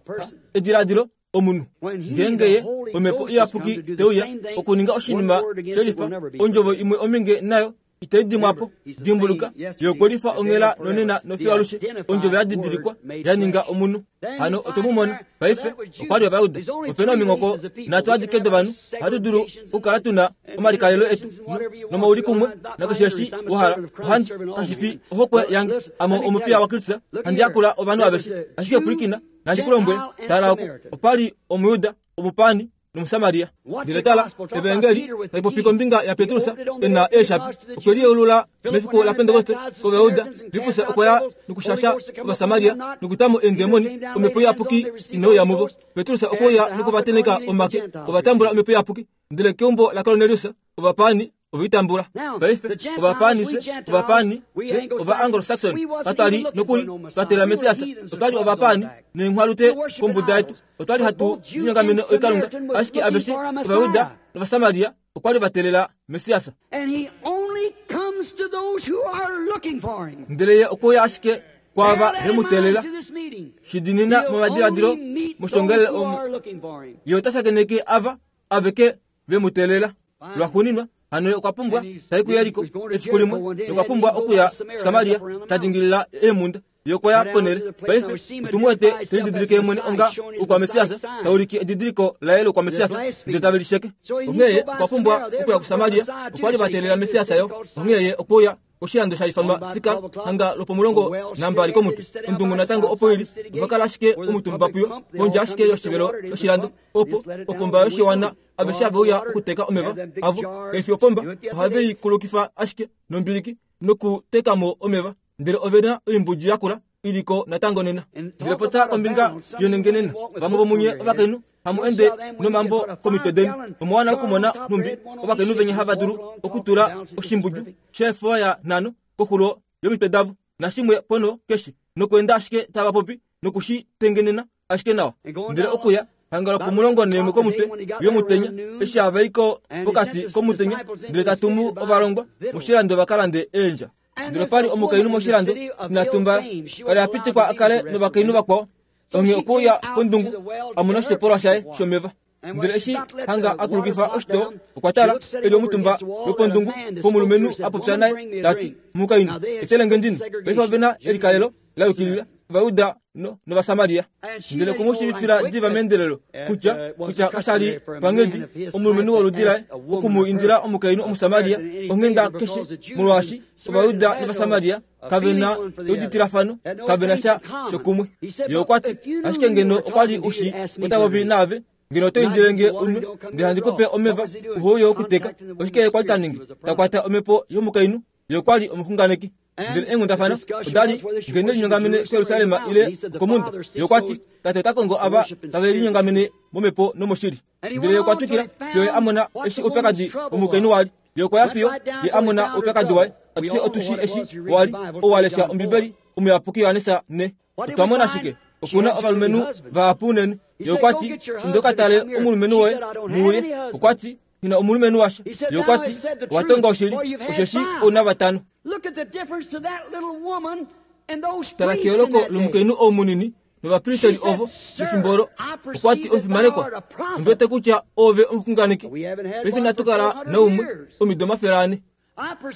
ediladilo omunhu ngeenge ye omhepo iyapuki te uya okuninga oshinima she lifa, ondjovo imwe ominge nayo itai dimwa po. Dimbuluka, ye okwe lifa onghela nonena nofiyo alushe, ondjovo ya didilikwa ya ninga omunhu. Hano otwe mu mona paife. Okwa li Ovayuda. Ope na ominghoko nhatu adike dovanhu. Ohatu dulu okukala tu na omalikalelo etu nomaulikumwe nakeshe eshi wa hala. Ohandi, kashi fi ohokwe yange, ame omupiya waKristus, handi yakula ovanhu aveshe. Ashike pwilikina, nandi ku lombwele, tala oku, opa li Omuyuda, omupaani nOmusamaria. Ndele tala, Evaengeli tai popi kombinga yaPetrus e na eeshapi. Okwe liyeulula mefiku laPentekoste kOvayuda. Filippus okwa ya nokushasha Ovasamaria nokuta mo eendemoni, Omhepo Iyapuki ine uya muvo. Petrus okwe uya nokuvatenheka omake, ova tambula Omhepo Iyapuki. Ndele keumbo laKornelius ovapaani ove i tambula. Paife, ovapaani fye, ovapaani fye, Ova-Anglo-Saxon, katwa li nokuli twa teelela Messias. Otwa li ovapaani neenghwalute kombuda yetu. Otwa li hatu linyongamene oikalunga. Ashike aveshe Ovajuda nOvasamaria okwa li va teelela Messias. Ndele ye okwe uya ashike kwaava ve mu teelela. Shi diinina momadiladilo moshiongalele omu, ye ota shakeneke ava aveke ve mu teelela. Lwaxuuninwa, hano ye okwa pumbwa ta i kuJeriko efiku limwe, nokwa pumbwa okuya kuSamaria, ta dingilila eemhunda. Ye okwa ya ponhele. Paife, otu mu wete te lididilike ye mwene onga Oukwamessias, ta ulike edidiliko laye lOukwamessias, ndele tave li sheke. Onghee ye okwa pumbwa okuya kuSamaria. Okwa li va teelela Messias yo. Onghee ye okwe uya Oshilando sha ifanwa Sikar, hanga lwopomulongo nambali komutwe. Ondungu natango opo i li, ova kala ashike omutumba puyo, pondje ashike yoshivelo shoshilando. Opo, opomba yoshiwana, aveshe have uya okuteka omeva avo. Kai fi opomba, ohave i kulukifa ashike nombiliki nokuteka mo omeva. Ndele ove na oimbudju yakula i li ko natango nena. Ndele popya kombinga yonengenena, vamwe vomunye ovakainhu. Hamu ende nomambo komitwe deni. Omwa wana okumona nhumbi ovakainhu venya hava dulu okutula oshimbudju sheefoya nhano koxulo yomitwe davo, nashimwe ponho keshe, nokuenda ashike tava popi noku shi tengenena ashike nawa. Ndele okuya hanga lwopomulongo neemwe komutwe yomutenya, eshi hava i ko pokati komutenya, ndele ta tumu ovalongwa moshilando va ka lande eendja. Ndele opa li omukainhu moshilando ina tumbala, ka li a pitikwa a kale novakainhu vakwao, onghee okwe uya pondungu a mona oshitopolwa shaye shomeva. Ndele eshi hanga a kulukifa oshitoo, okwa tala, e li omutumba lwopondungu pomulumenhu a popya naye, ta ti, Mukainhu, etele nge ndino. Paife ove na elikalelo la yukilila, Ovajuda nOvasamaria. Ndele okwe mu shiivifila diva meendelelo kutya, kutya kasha li panghedi omulumenhu woludi laye oku mu indila omukainhu Omusamaria onghenda keshe, molwaashi Ovajuda nOvasamaria kave na euditilafano, kave na sha shokumwe. Ye okwa ti, Ashike ngeno okwa li u shii ota popi naave, ngeno oto indile nge unwe, ndele handi ku pe omeva, uhe uye okuteka. Oshike ye kwa li ta ningi? Ta kwata omhepo yomukainhu. Ye okwa li omuxunganeki. Ndele eenghundafana oda li nge ne linyongamene kuJerusalem ile okomhunda. Ye okwa ti, Tate ota kongo ava tave linyongamene momhepo nomoshili. Ndele ye okwa twikila fiyo ye a mona eshi oupyakadi womukainhu wa li. Ye okwa ya fiyo ye a mona oupyakadi waye. Atushe otu shii eshi wa li, ou wa lesha Ombibeli, Omuyapuki Johannes 4. Otwa mona shike? Oku na ovalumenhu vahapu unene. Ye okwa ti, Inda u ka tale omulumenhu woye, mu uye. Okwa ti, Nghi na omulumenhu washa. Ye okwa ti, Owa tonga oshili, osheshi ou na vatano. Tala keyooloko lomukainhu ou munini novapristeri ovo mefimbo olo. Okwa ti, Omufimanekwa, ondi wete kutya oove omuxunganeki. Paife inatu kala naumwe omido 400.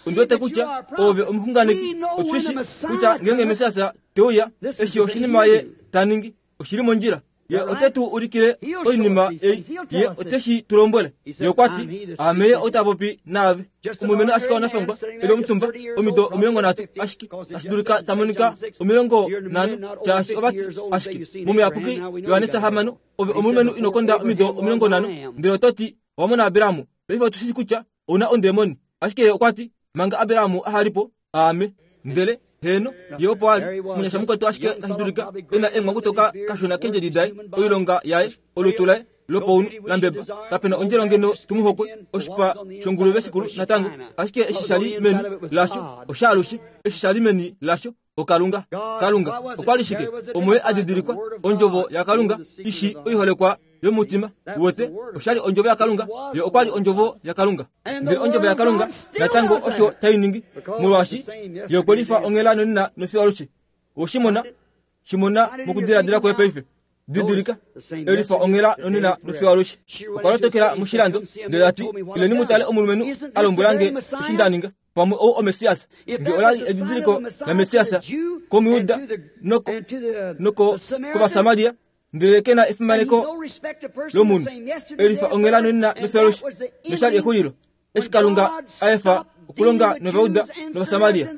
Ondi wete kutya oove omuxunganeki. Otu shi shii kutya ngeenge Messias te uya, eshi oshinima ye ta ningi oshi li mondjila. Ye ote tu ulikile oinima ei. Ye ote shi tu lombwele. Ye okwa ti, Aame ye ota popi naave. Omulumenhu ashike wanafangwa e li omutumba, omido 30 ashike, tashi dulika ta monika 50, shaashi ova ti ashike mOmuyapuki Johannes 6, Ove omulumenhu ino konda omido 50, ndele oto ti owa mona Abraham. Paife otu shi shii kutya ou na ondemoni. Ashike ye okwa ti, Manga Abraham aha li po, aame. Ndele, heeno, ye opo a li, omunyasha mukwetu ashike tashi dulika e na eenghwakutoka kashona keendjedi daye, oilonga yaye, olutu laye lopaunhu la mbeba. Kape na ondjelo ngeno tu mu hokwe, oshipa shonguluve shikulu natango. Ashike eshi sha li meni lasho oshaalushe, eshi sha li meni lasho oKalunga. Kalunga okwa li shike? Omo ye a didilikwa, Ondjovo yaKalunga, i shii oiholekwa yomutima. Uwete, osha li Ondjovo yaKalunga. Ye okwa li Ondjovo yaKalunga. Ndele Ondjovo yaKalunga natango osho tai ningi, molwaashi Ye okwe lifa onghela nonena nofiyo alushe. Owe shi mona? Shi mona mokudiladila kwoye paife. Didilika, e lifa onghela nonena nofiyo alushe. Okwa lotokela moshilando, ndele ta ti, Ileni mu tale omulumenhu a lombwela nge eshi nda ninga. Pamwe ou oMessias. Nge ola li edidiliko laMessias kOmujuda noko, noko kOvasamaria, ndele ke na efimaneko lomunhu. E lifa onghela nonena nofiyo alushe, nosha li exulilo. Eshi Kalunga a efa okulonga nOvajuda nOvasamaria.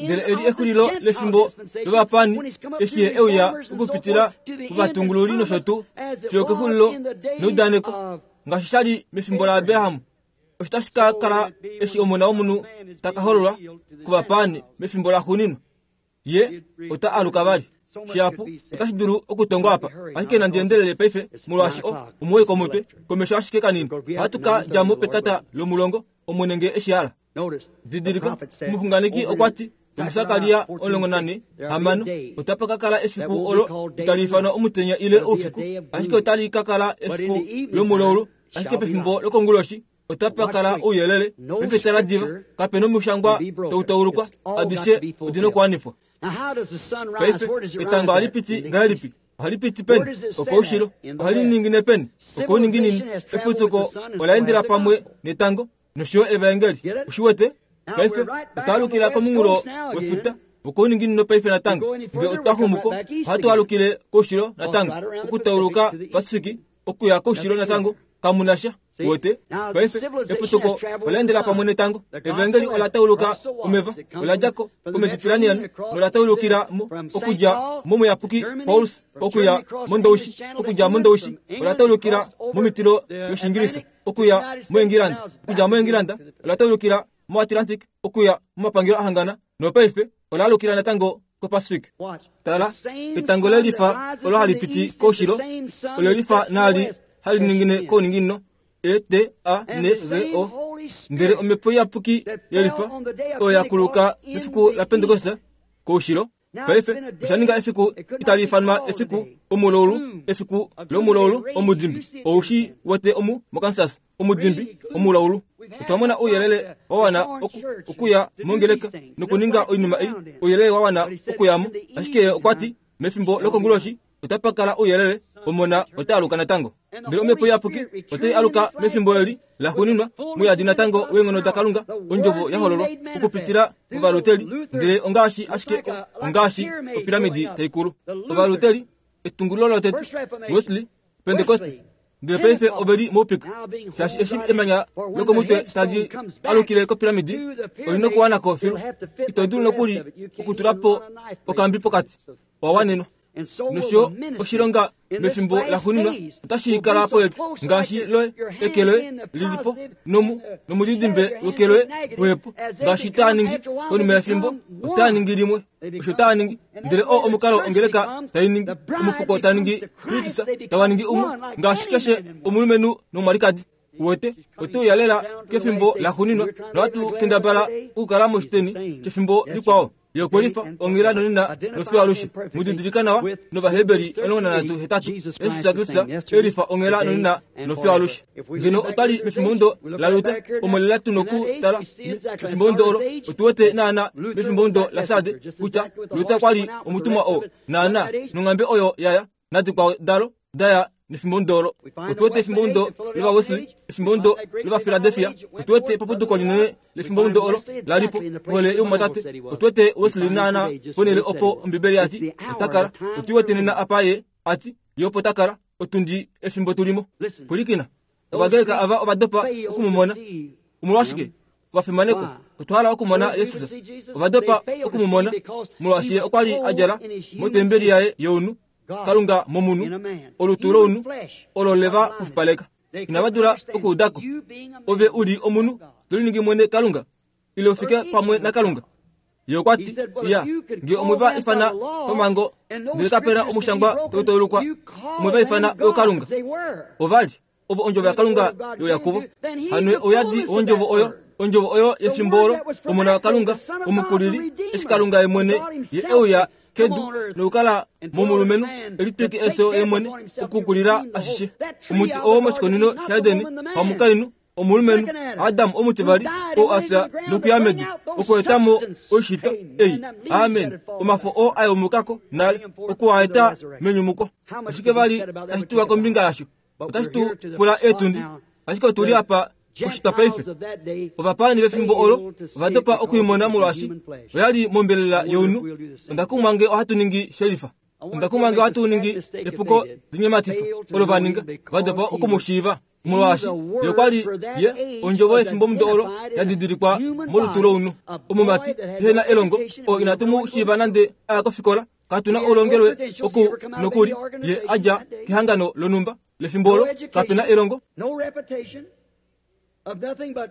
Ndele eli exulilo lefimbo lovapaani, eshi ye e uya okupitila movatungululi nosho tuu, fiyo kexulilo neudaneko, ngaashi sha li mefimbo laAbraham. Osho tashi ka kala eshi Omona wOmunhu ta ka hololwa kovapaani mefimbo laxuuninwa. Ye ota aluka vali. Shihapu otashi dulu okutongwa apa, ashike nandi endelele paife molwaashi o omuwoi komutwe, komesho ashike kanini. Ohatu ka dja mo petata lomulongo, Omwene nge e shi hala. Didilika, omuxunganeki okwa ti, muSakaria 14, 6, otapa ka kala efiku olo itali ifanwa omutenya ile oufiku, ashike otali ka kala efiku lomulaulu, ashike pefimbo lokonguloshi otapa kala ouyelele. Paife tala diva, kape nomushangwa tau taulukwa, adishe odi nokuwanifwa. Paife etango ohali piti ngahelipi? Ohali piti peni? Okoushilo. Ohali ningine peni? Okouninginini. Eputuko ola endela pamwe netango nosho yo evaengeli. Ushi wete? Paife otwa alukila komunghulo wefuta wokouninginino paife natango. Nge otwa xumu ko, ohatu alukile koushilo natango, okutauluka Pacific okuya koushilo natango. Kamu na sha. Wete? Paife eputuko ola endela pamwe netango. Evaengeli ola tauluka omeva, ola dja ko koMediterranean nola taulukila mo okudja momuyapuki Paulus okuya mOndoushi, okudja mOndoushi ola taulukila momitilo yOshiingilisa okuya moEngilanda, okudja moEngilanda ola taulukila moAtlantic okuya momapangelo ahangana, nopaife ola alukila natango. koPacific. Tala, etango le lifa olo hali piti koushilo, ole lifa naali hali ningine kouninginino, E T A N G O. Ndele omhepo iyapuki ye lifa oyo ya kuluka mefiku laPentekoste koushilo. Paife osha ninga efiku itali ifanwa efiku omulaulu, efiku lomulaulu omudimbi. Ou shi wete omu moKansas, omudimbi omulaulu. Otwa mona ouyelele wa wana oku, okuya mongeleka nokuninga oinima ei, ouyelele wa wana okuya mo. Ashike ye okwa ti, mefimbo lokonguloshi otapa kala ouyelele, Omona ota aluka natango. Ndele Omhepo Iyapuki otai aluka mefimbo eli laxuuninwa, mouyadi natango weenghono daKalunga, Ondjovo ya hololwa okupitila mOvaluteri, ndele ongaashi ashike ongaashi opiramidi tai kulu. Ovaluteri, etungululo lotete, Wesley, Pentekoste, ndele paife ove li moupika, shaashi eshi emanya lokomutwe tali alukile kopiramidi, oli nokuwana ko filu. Ito dulu nokuli okutula po okambi pokati. Owa wanenwa. Nosho oshilonga mefimbo laxuuninwa otashi kala popepi ngaashi loye eke loye li li po nomu nomudidimbe weke loye pohepo ngaashi taa ningi konima yefimbo otaa ningi limwe osho taa ningi ndele oo omukalo ongeleka tai ningi omufuko ta ningi Kristus tava ningi umwe ngaashi keshe omulumenhu nomwalikadi Uwete, ote uya lela kefimbo laxuuninwa, nohatu kendabala okukala moshiteni shefimbo likwao. Ye okwe lifa onghela nonena nofiyo alushe. Mu didilika nawa nOvaheberi 13:8, Jesus Kristus e lifa onghela nonena nofiyo alushe. Ngeno otwa li mefimbomudo laLuther, omo lela tu noku tala mefimbomudo olo, otu wete naana mefimbomudo laSarde kutya Luther kwa li omutumwa oo, naana, nonghambe oyo ya ya nadikwao dalo da ya nefimbomudo olo. Otu wete efimbomudo lOvawesley, efimbomudo lOvafiladelfia, otu wete epapuduko linene lefimbomudo olo la li po, ohole youmwatate. Otu wete Wesley naana ponhele opo Ombibeli ya ti ota kala. Otu wete nena apa ye a ti ye opo ta kala, otundi efimbo tu li mo. Pwilikina, Ovagreka ava ova dopa oku mu mona. Omolwashike? Ovafimanekwa, otwa hala okumona Jesus. Ova dopa oku mu mona, molwaashi ye okwa li a djala motembeli yaye younhu, Kalunga momunhu, olutu lounhu olo le va pufupaleka. Inava dula okuuda ko. Ove u li omunhu to liningi mwene Kalunga, ile u fike pamwe naKalunga. Ye okwa ti, Iya, nge omwe va ifana pamhango, ndele kape na omushangwa tau taulukwa, omwe va ifana ookalunga. Ova li ovo ondjovo yaKalunga yoya kuvo. Hano ouyadi wondjovo oyo, ondjovo oyo yefimbo olo, Omona waKalunga, Omukulili, eshi Kalunga ye mwene ye e uya kedu nokukala momulumenhu, e litwike efyo ye mwene, okukulila ashishe. Omuti oo moshikunino shaEden, hamukainhu, omulumenhu Adam omutivali oo a fya nokuya medu okweeta mo oishitwa ei, amen, omafo oo a yumuka ko nale, oku a eta menyumuko. Oshike vali tashi tiwa kombinga yasho? Otashi tu pula eetundi, ashike otu li apa oshitwa paife. Ovapaani vefimbo olo ova dopa okuimona molwaashi oya li mombelela younhu. Onda kumwa nge ohatu ningi shelifa. Onda kumwa nge ohatu ningi epuko linyematifa olo va ninga, va dopa oku mu shiiva. Molwaashi ye okwa li ye ondjovo yefimbomudo olo ya didilikwa molutu lounhu. Omumati ehe na elongo oo inatu mu shiiva nande a ya kofikola, katu na oulongelwe oku nokuli ye a dja kehangano lonhumba lefimbo olo, kape na elongo,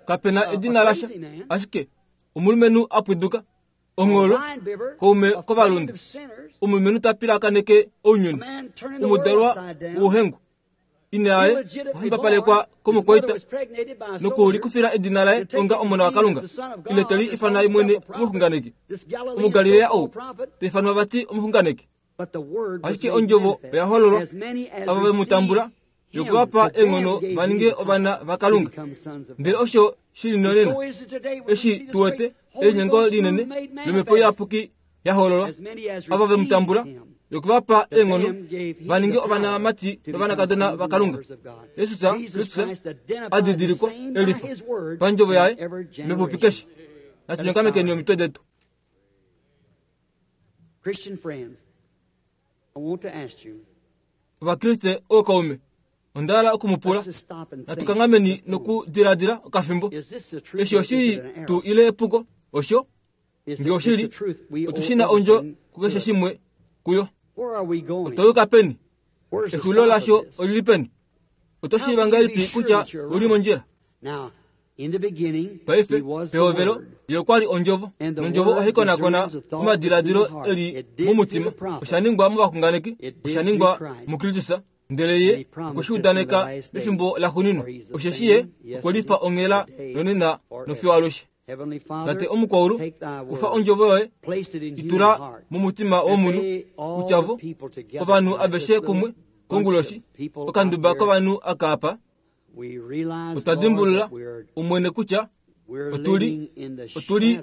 kape na edina lasha, ashike omulumenhu a pwiduka Ongholo, kaume kovalunde, omulumenhu ta pilakaneke ounyuni, omudalwa wouhengu. Ina yaye okwa fimbapalekwa komukwaita nokulikufila edina laye onga Omona waKalunga, ile te li ifana ye mwene omuxunganeki. Omugalilea ou ta ifanwa vati omuxunganeki. Ashike ondjovo oya hololwa, ava ve mu tambula yoku va pa eenghono va ninge ovana vaKalunga. Ndele osho shi li nonena, eshi tu wete elinyengo linene lOmhepo Iyapuki ya hololwa, ava ve mu tambula yoku va pa eenghono va ninge ovanamati novanakadona vaKalunga. Jesus Kristus a didilikwa e lifa pandjovo yaye mepupi keshe. Natu nyongamekeni omitwe detu. Christian friends, I want to ask you. Ovakriste ookaume, onda hala oku mu pula, natu kanghameni nokudiladila okafimbo. Eshi oshili tuu ile epuko? Osho? Nge oshili, otu shi na ondjo kukeshe shimwe kuyo. Otwa yuka peni? Exulilo lasho oli li peni? Oto shiiva ngahelipi kutya ou li mondjila? Paife, pehovelo, Ye okwa li Ondjovo, nOndjovo ohai konakona omadiladilo e li momutima. Osha ningwa movaxunganeki, osha ningwa muKristus, ndele Ye okwe shi udaneka mefimbo laxuuninwa, osheshi Ye okwe lifa onghela nonena nofiyo alushe. Tate Omukwaulu, kufa Ondjovo Yoye, i tula momutima womunhu, kutya vo, ovanhu aveshe kumwe, konguloshi, okanduba kovanhu aka apa, Otwa dimbulula, Omwene, kutya otu li, otu li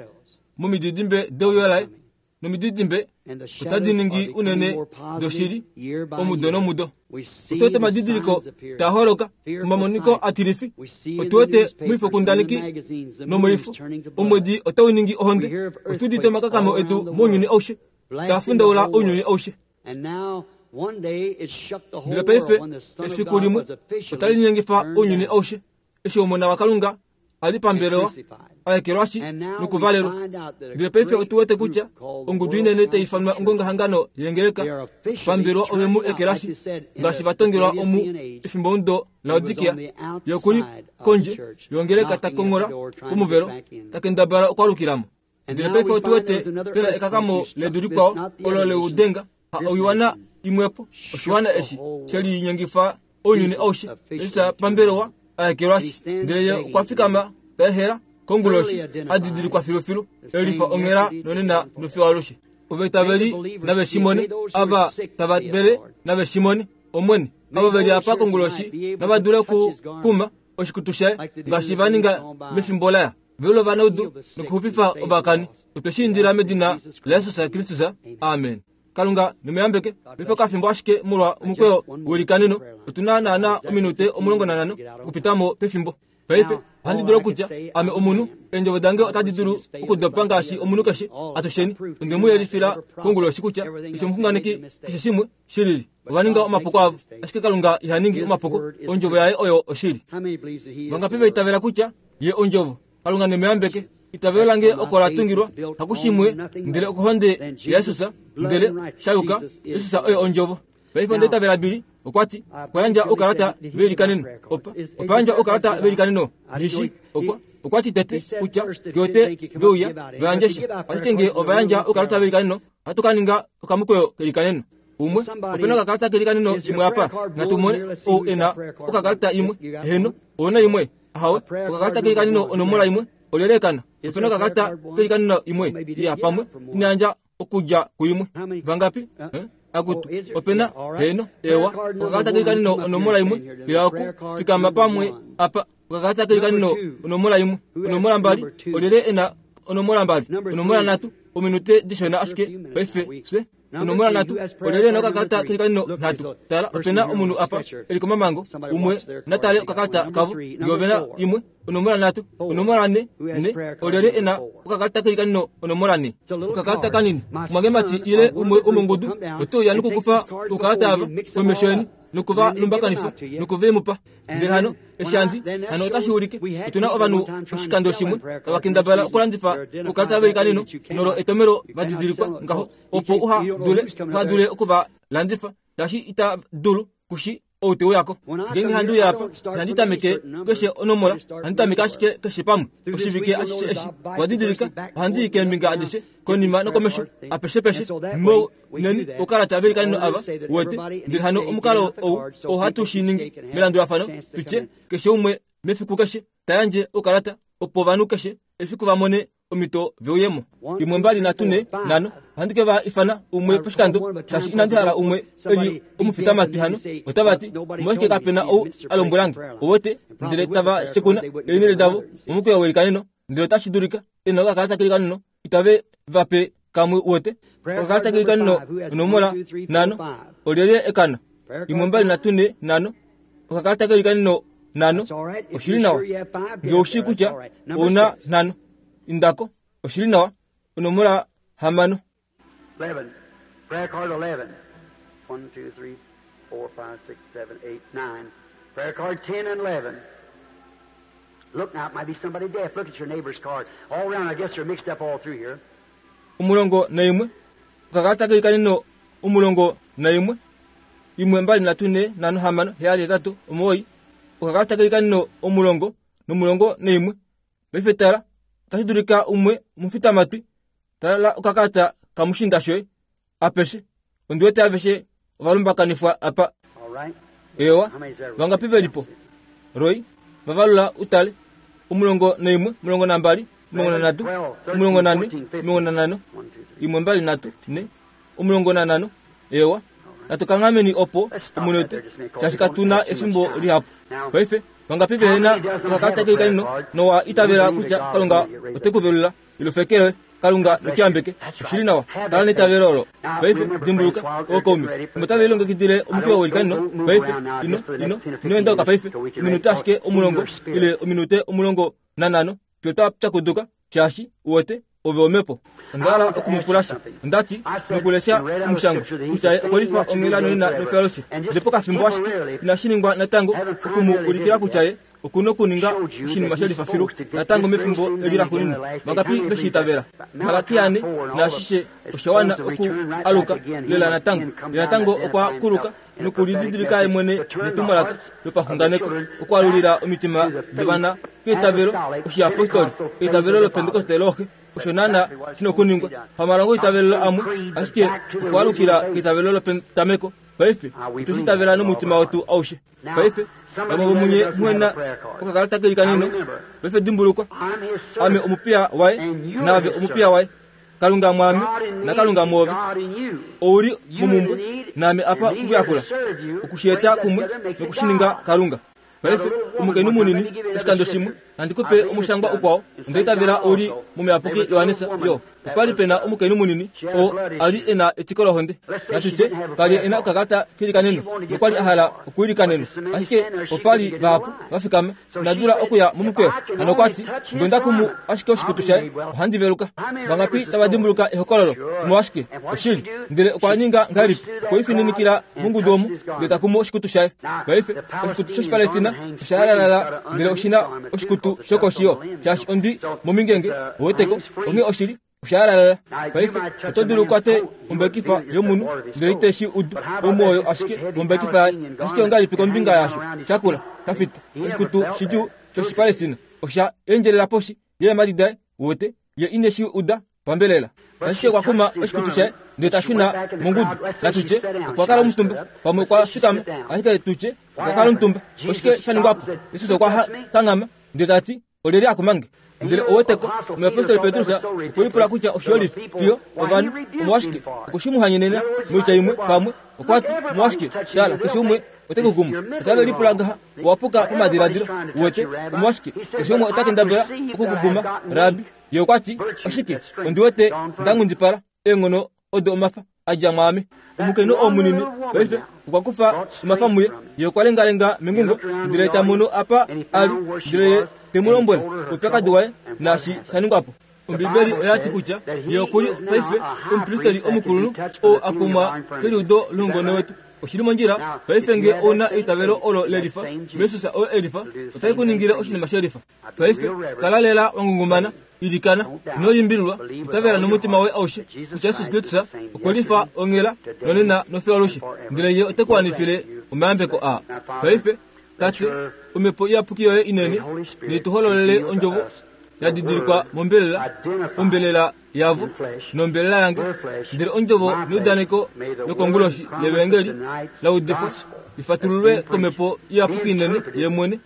momididimbe deuyo laye, nomididimbe otadi ningi unene doshili omudo nomudo. Otu wete omadidiliko taa holoka, omamoniko atilifi. Otu wete moifokundaneki nomoifo, omwedi otau ningi ohonde. Otu udite omakakamo edu mounyuni aushe, taa fundaula ounyuni aushe. Ndele paife, efiku limwe, otali linyengifa ounyuni aushe, eshi Omona waKalunga a li pambelewa, a ekelwashi nokuvalelwa. Ndele paife otu wete kutya ongudu inene tai ifanwa ongongahangano yeengeleka pambelewa ove mu ekelashi, ngaashi va tongelwa omu efimbomudo Laodikia. Ye oku li kondje yongeleka ta konghola pomuvelo, ta kendabala okwaalukila mo. Ndele paife otu wete pena ekakamo ledu likwao olo leudenga, ha oiwana imwepo, oshiwana eshi she linyengifa ounyuni aushe, eshi sha pambelewa a ekelwashi. Ndele ye okwa fikama ta ehela konguloshi, a didilikwa filufilu, e lifa onghela nonena nofiyo alushe. Ovaitaveli nave shi mone, ava tava vele nave shi mone, Omwene, ava ve li apa konguloshi nava dule oku kuma oshikutu shaye, ngaashi va ninga mefimbo laya. Velula ovanaudu nokuxupifa ovakani. Otwe shi indila medina laJesus Kristus. Amen. Kalunga nemuyambeke. Paife okafimbo ashike molwa omukweyo welikaneno. Otu na naana ominute 15 okupita mo pefimbo. Paife, ohandi dulu okutya, ame omunhu, eendjovo dange otadi dulu okudopa ngaashi omunhu keshe. Atusheni, onde mu yelifila konguloshi kutya keshe omuxunganeki, keshe shimwe shilili, ova ninga omapuko avo. Ashike Kalunga iha ningi omapuko. Ondjovo yaye oyo oshili. Vangapi va itavela kutya Ye Ondjovo. Kalunga ne mu yambeke. Itavelo lange oko la tungilwa, hakushimwe, ndele okohonde yaJesus, ndele, sha yuka, Jesus oye Ondjovo. Paife onda itavela Billy okwa ti, okwa yandja oukalata veilikaneno. Opa, opa yandjwa oukalata veilikaneno, ndi shi, okwa, okwa ti tete, kutya, ke wete ve uya, va yandje sha. Ashike nge ova yandja oukalata veilikaneno, ohatu ka ninga okamukweyo kelikaneno. Umwe, ope na okakalata kelikaneno imwe apa? Natu mone ou e na okakalata imwe. Eheno, ou na imwe? Ahawe, okakalata kelikaneno onomola imwe olyelekana. Ope na okakalata kelikaneno imwe ya pamwe ina yandja okudja kuimwe. Vangapi? Eh? Akutu, ope na? Heeno, ewa. Okakalata kelikaneno onomola imwe ila oku fikama pamwe apa. Okakalata kelikaneno onomola imwe, onomola mbali, olyelye e na onomola mbali, onomola nhatu, ominute dishona ashike paife fye. Onomola nhatu, olyelye ena okakalata kelikaneno nhatu? Tala, ope na omunhu apa e li komamango, umwe na tale okakalata kavo, nge ove na imwe. Onomola nhatu, onomola ne, ne, olyelye e na okakalata kelikaneno onomola ne? Okakalata kanini, omwangemati ile umwe womongudu ote uya nokukufa oukalata ava komesho yeni noku va lumbakanifa noku ve mu pa. Ndele hano, eshi handi, hano otashi ulike, otu na ovanhu oshikando shimwe tava kendabala okulandifa oukalata veikaneno nolo etomelo va didilikwa ngaho, opo uha dule, uha dule oku va landifa, shaashi ita dulu ku shi ou te uya ko. Ngeenge handi uya apa, ihandi tameke keshe onomola, ohandi tameke ashike keshe pamwe. Oshivike ashishe eshi, owa didilika, ohandi i keembinga adishe, konima nokomesho, apeshepeshe, mo, neni oukalata velikaneno ava, uwete. Ndele hano omukalo ou oo hatu shi ningi melandulafano, tu tye, keshe umwe mefiku keshe ta yandje oukalata, opo ovanhu keshe efiku va mone omhito ve uye mo. Imwe, mbali, nhatu, ne, nhano. Ohandi ke va ifana umwe poshikando, shaashi inandi hala umwe e li omufitamatwi hano. Otava ti, Omolwashike kape na ou a lombwela nge? Uwete? Ndele tava shekuna eenhele davo momukweyo welikaneno, ndele otashi dulika e na okakalata kelikaneno itave va pe kamwe uwete. Okakalata kelikaneno onomola nhano. Olyelye ekana? Imwe, mbali, nhatu, ne, nhano. Okakalata kelikaneno nhano. Oshi li nawa. Nge ou shii kutya ou na nhano, inda ko. Oshi li nawa. Onomola hamano. 11. Prayer card 11. 1, 2, 3, 4, 5, 6, 7, 8, 9. Prayer card 10 and 11. Look now, it might be somebody deaf. Look at your neighbor's card. All around, I guess they're mixed up all through here. 11. Okakalata kelikaneno 11. Imwe, mbali, nhatu, ne, nhano, hamano, heyali, hetatu, omuwoi. Okakalata kelikaneno 11 nomulongo naimwe. Paife tala, otashi dulika umwe omufitamatwi, tala okakalata kamushiinda shoye, apeshe. Ondi wete aveshe ova lumbakanifwa apa. Eewa, vangapi ve li po? Roy, va valula utale. 11, 12, 13, 14, 15, 1, 2, 3, 4, 15. Eewa, natu kanghameni opo omunute, shaashi katu na efimbo lihapu. Paife, vangapi vehe na okakalata keikanino nowa itavela kutya Kalunga ote ku velula? Ilufekele, Kalunga ne ku yambeke. Oshi li nawa. Kala neitavelo olo. Paife, dimbuluka, ookaume, fimbo tave lilongekidile omukweyo weilikano, paife, ino, ino, ino endauka paife, ominute ashike omulongo, ile ominute 15, fiyo twa pyakuduka, shaashi, uwete, ove omhepo. Onda hala oku mu pula sha. Onda ti, nokulesha omushangwa, kutya ye okwe lifa onghela nonena nofiyo alushe. Ndele pokafimbo ashike, inashi ningwa natango, oku mu ulikila kutya ye oku nokuninga oshinima she lifa filu natango mefimbo eli laxuuninwa. Vangapi ve shi itavela? Malaki ane naashishe osha wana oku aluka lela natango. Ye natango okwa kuluka nokulididilika ye mwene netumwalaka lopaxunganeko, okwaalulila omitima dovana keitavelo oshiyapostoli, eitavelo lopentekoste looxe. Osho naana shi nokuningwa pamalongo eitavelo amwe, ashike okwaalukila keitavelo lopetameko. Paife otwe shi itavela nomutima wetu aushe. Paife, vamwe vomunye muhe na okakalata kelikanino, paife dimbulukwa, ame omupiya waye, naave omupiya waye. Kalunga mwaame, naKalunga mwoove. Ou li momumbwe, naame apa okukuyakula, okushieta kumwe nokushininga Kalunga. Paife, omukainhu munini, oshikando shimwe, nandi ku pe omushangwa ukwao, onda itavela ou li mOmuyapuki Johannes, yo. Opa li pe na omukainhu munini oo a li e na etiko lohonde. Natu tye, ka li e na okakalata keilikaneno, nokwa li a hala okwiilikanenwa. Ashike opa li vahapu va fikama, ina dula okuya momukweyo. Hano okwa ti, Nge onda kumu ashike oshikutu shaye, ohandi veluka. Vangapi tava dimbuluka ehokololo? Omolwashike, oshili. Ndele okwa ninga ngahelipi? Okwe lifininikila mongudu omo, ndele ta kumu oshikutu shaye. Paife, oshikutu shOshipalestina osha yalalala, ndele oshi na oshikutu shokoshi yo, shaashi ondwi momingenge, uweteko, onghee oshi li, osha yalalala. Paife, oto dulu ukwate ombekifa yomunhu, ndele ite shi udu omwoyo ashike wombekifa yaye. Ashike ongahelipi kombinga yaasho shakula, shafita, oshikutu shidjuu shOshipalestina osha endjelela poshi yeemhadi daye, uwete, ye ine shi uda pambelela. Ashike okwa kuma oshikutu shaye ndele ta shuna mongudu. Natu tye okwa kala omutumba, pamwe okwa fikama, ashike tu tye okwa kala omutumba. Oshike sha ningwa po? Jesus okwa kanghama ndele ta ti, Olyelye a kuma nge? Ndele oweteko, omuyapostoli Petrus okwe lipula kutya oshiyolifi fiyo ovanhu omolwashike okwe shi mu hanyenena. Moitya imwe, pamwe okwa ti, Omolwashike, tala, keshe umwe ote ku kumu. Otave lipula ngaha, Owa puka pamadiladilo. Uwete, omolwashike, keshe umwe ota kendabala oku ku kuma, Rabbi. Ye okwa ti, Oshike, ondi wete nda nghundipala, eenghono odo omafa a dja mwaame. Omukainhu oo munini paife okwa kufa omafa muye. Ye okwa lengalenga mengungo, ndele ta mono apa a li, ndele ye te mu lombwele oupyakadi waye naashi sha ningwa po. Ombibeli oya ti kutya ye oku li paife omupristeli omukulunhu oo a kumwa keliudo loungone wetu. Oshi li mondjila paife nge ou na eitavelo olo le lifa muJesus oo e lifa, otai ku ningile oshinima she lifa. Paife kala lela wa ngungumana, ilikana, ino limbililwa, itavela nomutima woye aushe kutya Jesus Kristus okwe lifa onghela nonena nofiyo alushe, ndele Ye ote ku wanifile omayambeko aa. Paife, Tate, Omhepo Iyapuki yoye inene nei tu hololele Ondjovo ya didilikwa mombelela, ombelela yavo nombelela yange, ndele Ondjovo neudaneko lokonguloshi lEvaengeli la udifwa li fatululwe kOmhepo Iyapuki inene Ye mwene,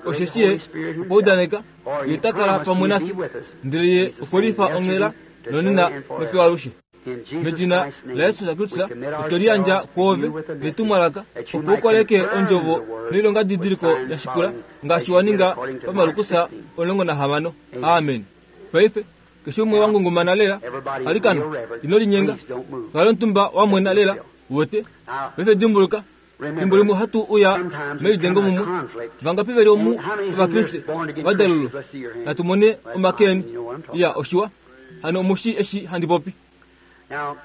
osheshi Ye okwa udaneka Ye ota kala pamwe nafye, ndele Ye okwe lifa onghela nonena nofiyo alushe. Medina laJesus Kristus otwe liyandja kwoove netumwalaka opo u koleke ondjovo noilongadidiliko ya shikula ngaashi wa ninga paMalukus 16. Amen. Paife, keshe umwe wa ngungumana lela, alikana, ino linyenga. Kala omutumba wa mwena lela, uwete. Paife dimbuluka, fimbo limwe ohatu uya melidengo mumwe. Vangapi ve li omu Ovakriste va dalulwa? Natu mone omake eni. Iya, oshiwa. Hano omu shii eshi handi popi.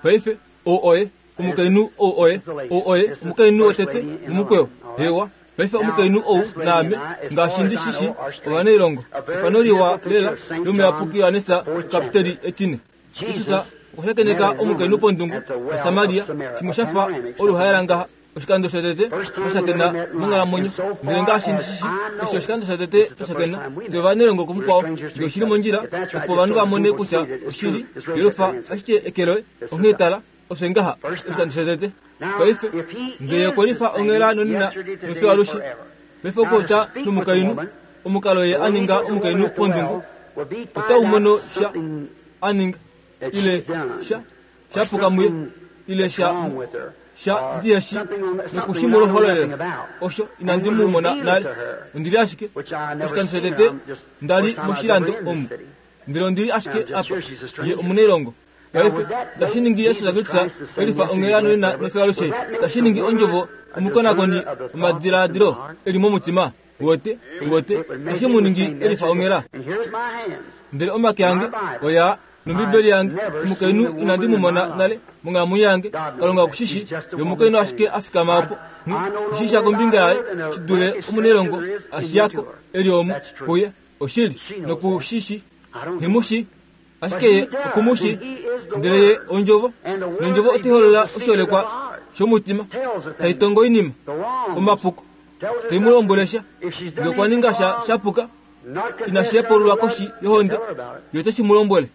Paife, ou oye omukainhu, ou oye, ou oye omukainhu wotete momukweyo. Hewa. Paife omukainhu ou naame, ngaashi ndi shi shii, ovanailongo. Efano liwa lela lOmuyapuki Johannes Okapiteli Etine. Jesus okwa shakeneka omukainhu pondungu yaSamaria, shimwe sha fa oluhaela ngaha. Oshikando shotete twa shakena monghalamwenyo, ndele ngaashi ndi shi shii, eshi oshikando shotete twa shakena, fye ovanailongo kumukwao. Nge oshi li mondjila, opo ovanhu va mone kutya oshili, yelufa ashike eke loye. Onghee tala, ofye ngaha, oshikando shotete. Paife, nge Ye okwe lifa onghela nonena nofiyo alushe, paife okupopya nomukainhu, omukalo Ye a ninga omukainhu pondungu, otau mono sha a ninga, ile sha, sha puka muye, ile sha, sha ndihe shi noku shi mu hololela. Osho inandi mu mona nale. Ondi li ashike oshikando shotete nda li moshilando omu, ndele ondi li ashike apa. Ye omunailongo. Paife, tashi ningi Jesus Kristus elifa onghela nonena nofiyo alushe. Tashi ningi ondjovo omukonakoni womadiladilo e li momutima. Uwete? Uwete? Tashi mu ningi elifa onghela. Ndele omake ange oyaa nOmbibeli yange, omukainhu inandi mu mona nale monghalamwenyo yange. Kalunga oku shi shii. Ye omukainhu ashike a fikama opo. Nghi shi sha kombinga yaye shi dule omunailongo a shiya ko e li omu kuye. Oshili, noku shi shii. Nghi mu shii. Ashike ye oku mu shii. Ndele ye Ondjovo, nOndjovo otai holola oshiholekwa shomutima, tai tongo oinima, omapuko, tai mu lombwele sha. Nge okwa ninga sha sha puka, inashi hepululwa koshi yohonde, ye ote shi mu lombwele.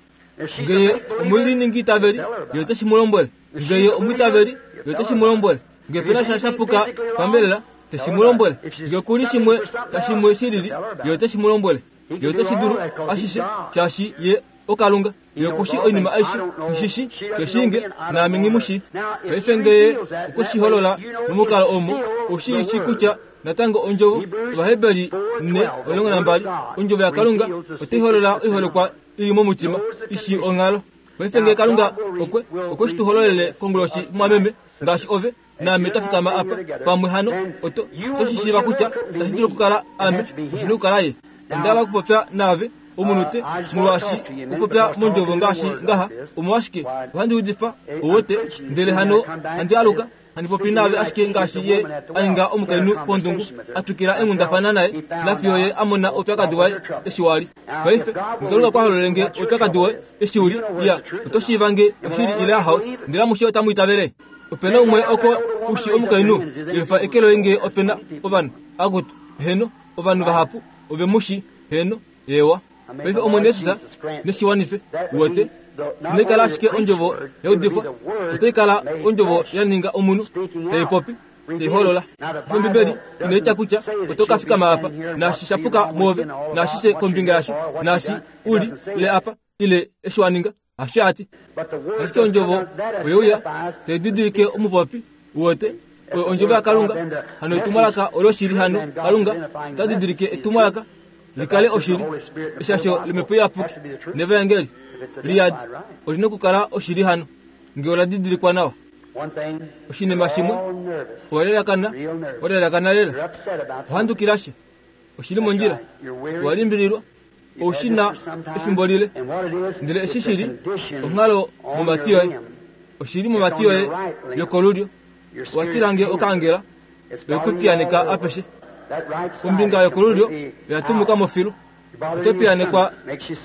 Nge ye omuliningiitaveli, ye ote shi mu lombwele. Nge ye omwiitaveli, ye ote shi mu lombwele. Nge pe na sha sha puka pambelela, te shi mu lombwele. Nge oku li shimwe nashimwe shi lili, ye ote shi mu lombwele. Ye ote shi dulu ashishe, shaashi ye oKalunga. Ye oku shi oinima aishe. Nghi shi shi, ke shii nge, naame nghi mu shii. Paife nge ye okwe shi holola momukalo omo, oshi shii kutya natango Ondjovo, Ovaheberi 4:12, Ondjovo yaKalunga otai holola oiholekwa i li momutima, i shii onghalo. Paife nge Kalunga okwe, okwe shi tu hololele konguloshi, mumwameme, ngaashi ove, naame twa fikama apa pamwe hano, oto, oto shi shiiva kutya itashi dulu okukala ame, oshi na okukala ye. Onda hala okupopya naave omunute, molwaashi okupopya mondjovo ngaashi ngaha, omolwashike ohandi udifa, ou wete, ndele hano handi aluka, handi popi naave ashike ngaashi ye a ninga omukainhu pondungu, a twikila eenghundafana naye, nafiyo ye a mona oupyakadi waye eshi wa li. Paife, Kalunga kwa hololele nge oupyakadi woye eshi u li, ya, oto shiiva nge oshili ile ahawe, ndele amushe otamu itavele. Ope na umwe oko u shi omukainhu? Yelufa eke loye ngee ope na ovanhu. Akutu, heeno, ovanhu vahapu ove mu shi. Heeno, eewa. Paife Omwene Jesus ne shi wanife. Uwete? Inai kala ashike ondjovo ya udifwa, otai kala ondjovo ya ninga omunhu, tai popi, tai holola. Paife Ombibeli inai tya kutya oto ka fikama apa, naashi sha puka mwoove, naashishe kombinga yasho, naashi u li, ile apa, ile eshi wa ninga. Hasho a ti. Ashike ondjovo oye uya, tai didilike omupopi, uwete, oyo ondjovo yaKalunga, hano etumwalaka oloshili hano Kalunga ota didilike etumwalaka li kale oshili. Eshasho lOmhepo Iyapuki nevaengeli liyadi oli nokukala oshili hano, nge ola didilikwa nawa. Oshinima shimwe, owa lelakana, wa lelakana lela, owa handukila sha, oshi li mondjila, owa limbililwa. Ou shi na efimbo lile, ndele eshi shi li onghalo momati yoye, oshi li momati yoye yokolulyo. Owa tila nge okaangela oye ku piyaneka apeshe. Ombinga yokolulyo oya tumuka mo filu. Oto piyanekwa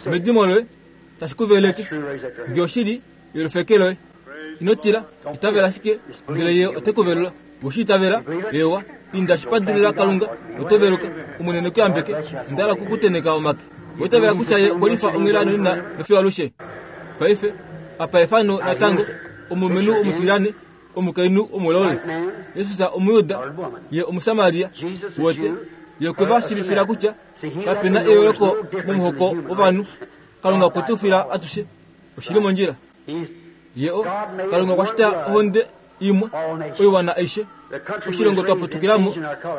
medimo loye, tashi ku veleke. Nge oshi li yolufeke loye, ino tila, itavela ashike, ndele Ye ote ku velula. We shi itavela? Eewa. Inda shi padulila Kalunga, oto veluka. Omwene ne ku yambeke. Onda hala oku ku tenheka omake. Owa itavela kutya Ye okwe lifa onghela nonena nofiyo alushe? Paife, apa efano natango, omulumenhu omutilyane, omukainhu omulaule. Jesus Omuyuda, Ye Omusamaria. Uwete? Ye okwe va shiivifila kutya kape na eyooloko momuhoko wovanhu. Kalunga okwe tu fila atushe. Oshi li mondjila. Ye o, Kalunga okwa shita ohonde imwe, oiwana aishe. Oshilongo twa putukila mo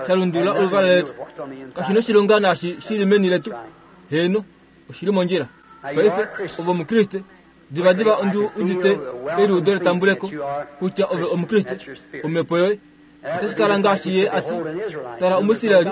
sha lundulula oluvala letu. Kashi noshilonga naashi shi li meni letu. Heeno, oshi li mondjila. Paife, ove Omukriste. Divadiva ondi udite eliudo letambuleko kutya ove Omukriste. Omhepo yoye otashi kala ngaashi ye a ti, Tala Omuisraeli,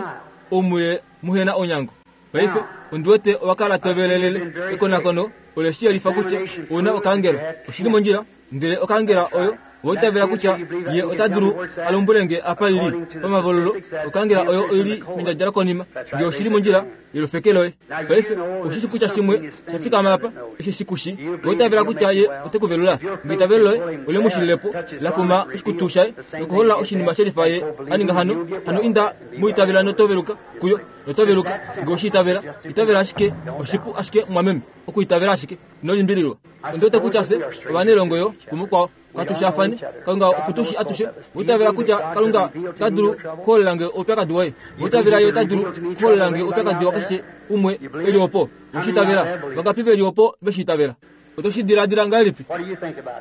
ou muye muhe na onyango. Paife, ondi wete owa kala to velelele ekonakono ole shi yelifa kutya ou na okaangela. Oshi li mondjila, ndele okaangela oyo. Owa itavela kutya ye ota dulu a lombwele nge apa i li pamavololo okangela oyo oi li mendjadja lokonima, nge oshi li mondjila yolufeke loye. Paife ou shi shi kutya shimwe osha fikama apa eshi shi ku shi. Owa itavela kutya ye ote ku velula? Nge eitavelo loye ole mu shilile po, la kuma oshikutu shaye nokuholola oshinima shelifa ye a ninga hano, hano inda mu itavela noto veluka kuyo, noto veluka. Nge oshi itavela, itavela ashike, oshipu ashike mumwameme okuitavela ashike. Ino limbililwa. Ondi wete kutya fye ovanailongo yo kumukwao. Katu shaafane. Kalunga oku tu shi atushe. Owa itavela kutya Kalunga ota dulu okuholola nge oupyakadi woye? Owa itavela Ye ota dulu okuholola nge oupyakadi wakeshe umwe e li opo? Owe shi itavela? Vangapi ve li opo ve shi itavela? Oto shi diladila ngahelipi?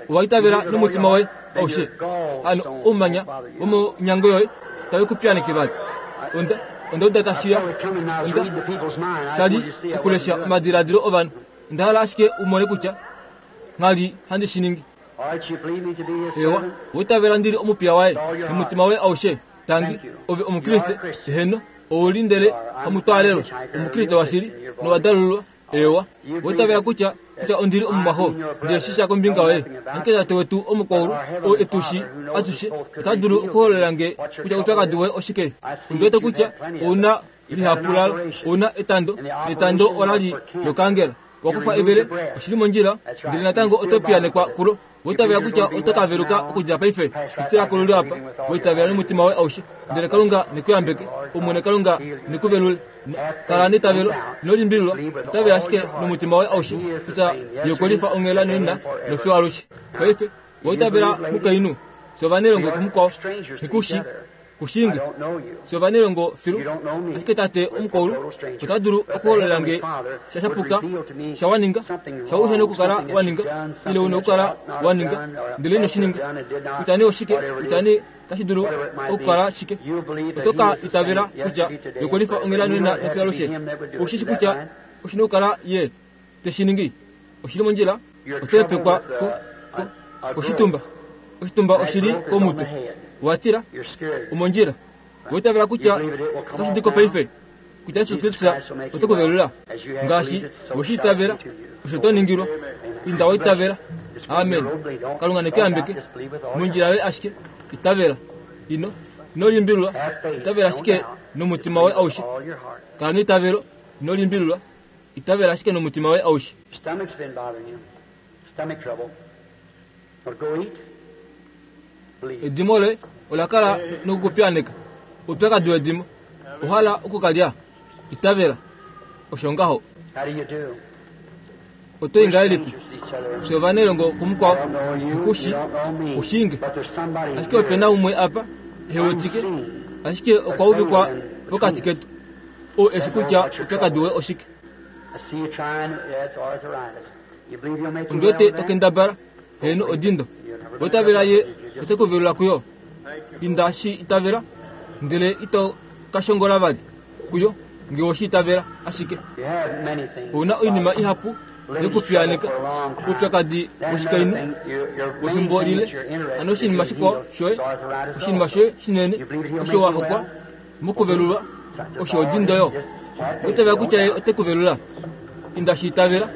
Owa itavela nomutima woye aushe? Hano oumanya womonyango yoye tave ku piyaaneke vali. Onda, onda uda tashi ya. Onda sha li okulesha omadiladilo ovanhu. Onda hala ashike u mone kutya ngha li handi shi ningi. Eewa, owa itavela ndi li omupiya waye nomutima woye aushe? Tangi, ove Omukriste? Eheno, ou li ndele hamutwaalelwa, Omukriste washili nowa dalululwa. Eewa, owa itavela kutya kutya ondi li omumwaxo, ndele shi sha kombinga yoye. Ashike Tate wetu omukwaulu, ou e tu shii atushe, ota dulu okuhololela nge kutya oupyakadi woye oshike. Ondi wete kutya ou na lihapu lalo, ou na etando, netando ola li lokaangela. Wa kufa evele, oshi li mondjila, ndele natango oto piyanekwa kulo. Wa itavela kutya oto ka veluka okudja paife? Pitila kolulyo apa. Wa itavela nomutima woye aushe. Ndele Kalunga ne ku yambeke. Omwene Kalunga ne ku velule. Kala neitavelo, ino limbililwa. Itavela ashike nomutima woye aushe kutya Ye okwe lifa onghela nonena nofiyo alushe. Paife, wa itavela mukainhu? Fye ovanailongo kumukwao. Nghi ku shii. Kushinge, fye ovanelongo filu, ashike Tate omukwaulu ota dulu okuhololela nge sha shapuka, sha wa ninga, sha uhe nokukala wa ninga, ile u nokukala wa ninga, ndele ino shi ninga. Kutya nee oshike, kutya nee tashi dulu okukala shike, oto ka itavela kutya ye okwe lifa onghela nonena nofiyo alushe. Ou shi shi kutya oshi nokukala ye te shi ningi. Oshi li mondjila, oto hepekwa ko, ko, koshitumba. Oshitumba oshi li komutwe. Wa tila, omondjila. Owa itavela kutya otashi di ko paife, kutya Jesus Kristus ote ku velula? Ngaashi we shi itavela, osho to ningilwa. Inda wa itavela. Amen. Kalunga ne ku yambeke. Mondjila yoye ashike, itavela. Ino, ino limbililwa, itavela ashike nomutima woye aushe. Kala neitavelo, ino limbililwa. Itavela ashike nomutima woye aushe. Edimo loye ola kala nokukupiyaneka. Oupyakadi wedimo. Owa hala oku ka lya? Itavela. Osho ngaho. Oto i ngahelipi? Fye ovanailongo kumukwao. Ku shi, ku shiinge. Ashike ope na umwe apa, ehe wetike, ashike okwa uvikwa pokati ketu. Ou e shi kutya oupyakadi woye oshike. Ondi wete to kendabala, heeno odindo. Owa itavela Ye ote ku velula kuyo? Inda shi itavela, ndele ito ka shongola vali kuyo, nge owe shi itavela ashike. Ou na oinima ihapu yokupiyaaneka, oupyakadi woshikainhu wefimbo lile, hano oshinima shikwao shoye, oshinima shoye shinene osho wa hokwa mokuvelulwa osho odindo yo. Owa itavela kutya Ye ote ku velula? Inda shi itavela.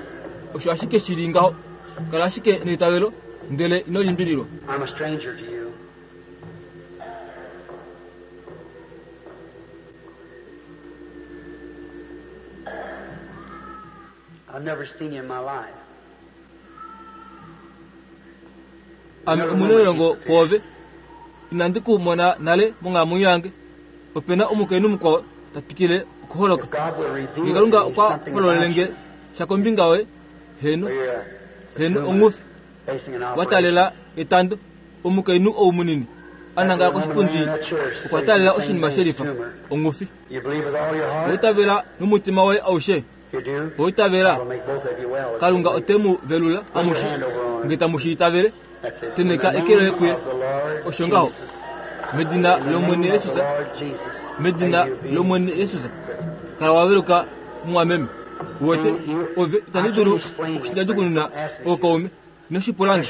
Osho ashike shi li ngaho. Kala ashike neitavelo, ndele ino limbililwa. I'm a stranger to you. I've never seen you in my life. Ame omunailongo kwoove. Inandi ku mona nale monghalamwenyo yange. Ope na omukainhu mukwao ta twikile okuholoka. If God will reveal Nge Kalunga to me okwa something hololele about nge you, sha kombinga yoye, heeno, or you're a heeno tumor ongufi, facing an wa operation. taalela etando, omukainhu ou munini a That nangala little woman koshipundi laying in that chair okwa facing taalela the same oshinima thing, shelifa, tumor. ongufi. You believe with all your Owa heart? itavela nomutima woye aushe? You do? Owa itavela? God will make both of you well if you Kalunga believe. ote mu velula Put your amushe, hand over on nge her. tamu shi itavele. That's it. In Teneka the eke loye name kuye. of the Lord Osho ngaho. Jesus. Medina In the lOmwene name of the Jesus. Lord Jesus. Medina May you be lOmwene Jesus. Kala wa veluka mumwameme. Uwete, You, ove I itandi can't dulu explain that, friend. okushidjajukununa Ask me to. ookaume. Ino shi pula nge.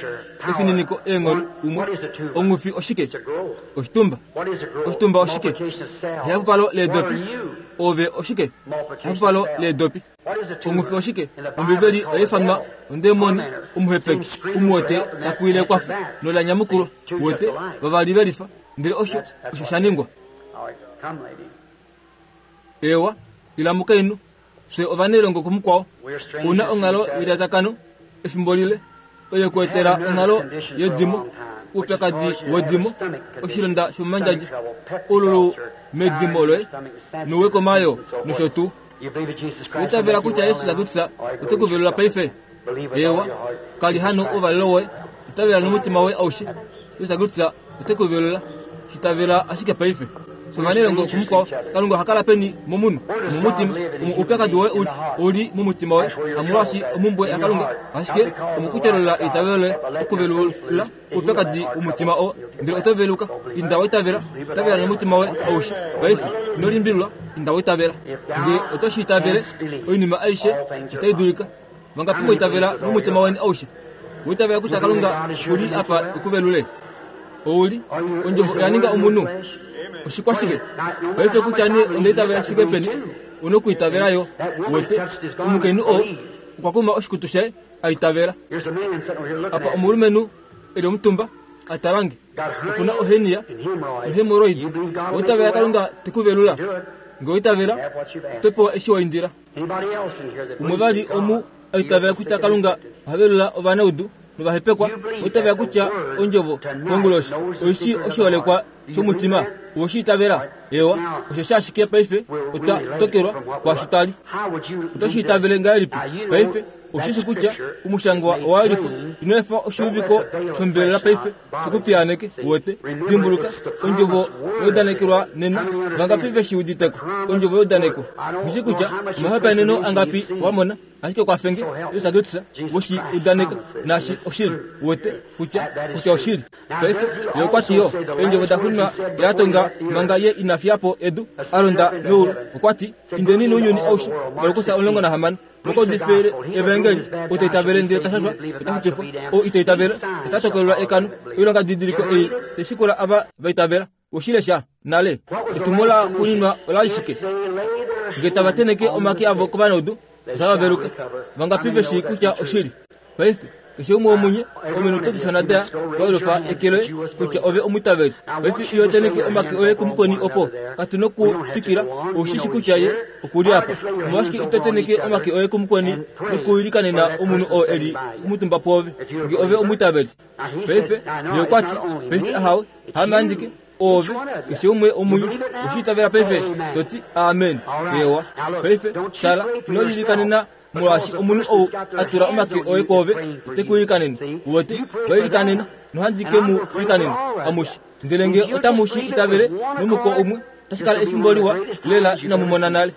Efininiko, eenghono, umwe. Ongufi oshike? Oshitumba. Oshitumba oshike? Ehapupalo leedopi. Ove oshike? Ehapupalo leedopi. Ongufi oshike? Ombibeli oya ifanwa ondemoni, omuhepeki, umwe ta kuwile ekwafo, nola nyamukulwa. Wete, vavali ve lifa. Ndele osho osho sha ningwa. Ewa, ila mukainhu. Fye ovanailongo kumukwao. U na onghalo yelyatakano efimbo lile. Oye ku etela onghalo yedimo, oupyakadi wedimo, oshilonda shomomandjadja, oululu medimo loye, nouwekomayoo, nosho tuu. Owa itavela kutya Jesus Kristus ote ku velula paife? Eewa, kali hano ouvalelo woye. Itavela nomutima woye aushe. Jesus Kristus ote ku velula. Shi tavela ashike paife. Sovanelongo kumukwao, Kalunga oha kala peni momunhu? Omomutima. Omo oupyakadi woye u li, ou li momutima woye. Hamolwaashi omhumbwe yaKalunga, ashike omokutolola eitavelo loye okuvelula oupyakadi womutima oo. Ndele oto veluka. Inda wa itavela. Itavela nomutima woye aushe. Paife, ino limbililwa. Inda wa itavela. Nge oto shi itavele, oinima aishe otai dulika. Vangapi mwa itavela nomutima weni aushe? Wa itavela kutya Kalunga oku li apa e ku velule? Ou li Ondjovo oya ninga omunhu. Oshikwashike? Paife kutya nee onda itavela shi fike peni, u nokuitavela yo. Wete, omukainhu oo okwa kuma oshikutu shaye, a itavela. Apa omulumenhu e li omutumba, a tala nge. Oku na ohenia nohemoroid. Owa itavela Kalunga te ku velula? Nge owa itavela, oto pewa eshi wa indila. Umwe vali omu a itavela kutya Kalunga oha velula ovanaudu novahepekwa, owa itavela kutya Ondjovo konguloshi oi shii oshiholekwa shomutima? Owe shi itavela? Eewa, osho sha ashike paife otwa tokelwa kwaashi twa li. Oto shi itavele ngahelipi paife? Osheshi kutya omushangwa owa yelifwa. Ino efa oshiuviko shombelela paife shi ku piyaaneke. Uwete? Dimbuluka, Ondjovo ya udanekelwa nena. Vangapi ve shi udite ko? Ondjovo ya udanekwa. Nghi shii kutya omahopaeneno angapi wa mona, ashike kwafenge, Jesus Kristus we shi udaneka, naashi oshili. Uwete kutya, kutya oshili. Paife, Ye okwa ti yo, Eendjovo da xuninwa Ye a tonga manga Ye ina fiya po edu, a londa meulu, okwa ti, Indeni nounyuni aushe, Markus 16. Moka udifile evaengeli, ou ta itavele ndele ta shashwa, ota xupifwa. Ou ita itavele, ota tokolelwa ekano. Oilonga didiliko ei tai shikula ava va itavela. We shi lesha nale? Etumo la xuuninwa ola li shike? Nge tava tenheke omake avo kovanaudu, otava veluka. Vangapi ve shii kutya oshili? Paife, keshe umwe womunye, ominute dishona da waelufa eke loye kutya ove omwiitaveli. Paife iho tenheke omake oye kumukweni opo. Katu noku twikila, ou shi shi kutya ye oku li apa. Omolwashike ito tenheke omake oye kumukweni nokuilikanena omunhu oo e li omutumba pwoove, nge ove omwiitaveli? Paife, ye okwa ti, Paife ahawe, haame andike. Ove, keshe umwe womunye, oshi itavela paife? To ti, Amen. Eewa. Paife, tala, ino lilikanena molwaashi omunhu ou a tula omake oye kwoove ote ku ilikanene. Uwete, va ilikanena, nohandi ke mu ilikanena amushe. Ndele nge otamu shi itavele nomuko umwe, otashi kala efimbo liwa lela inamu mona nale.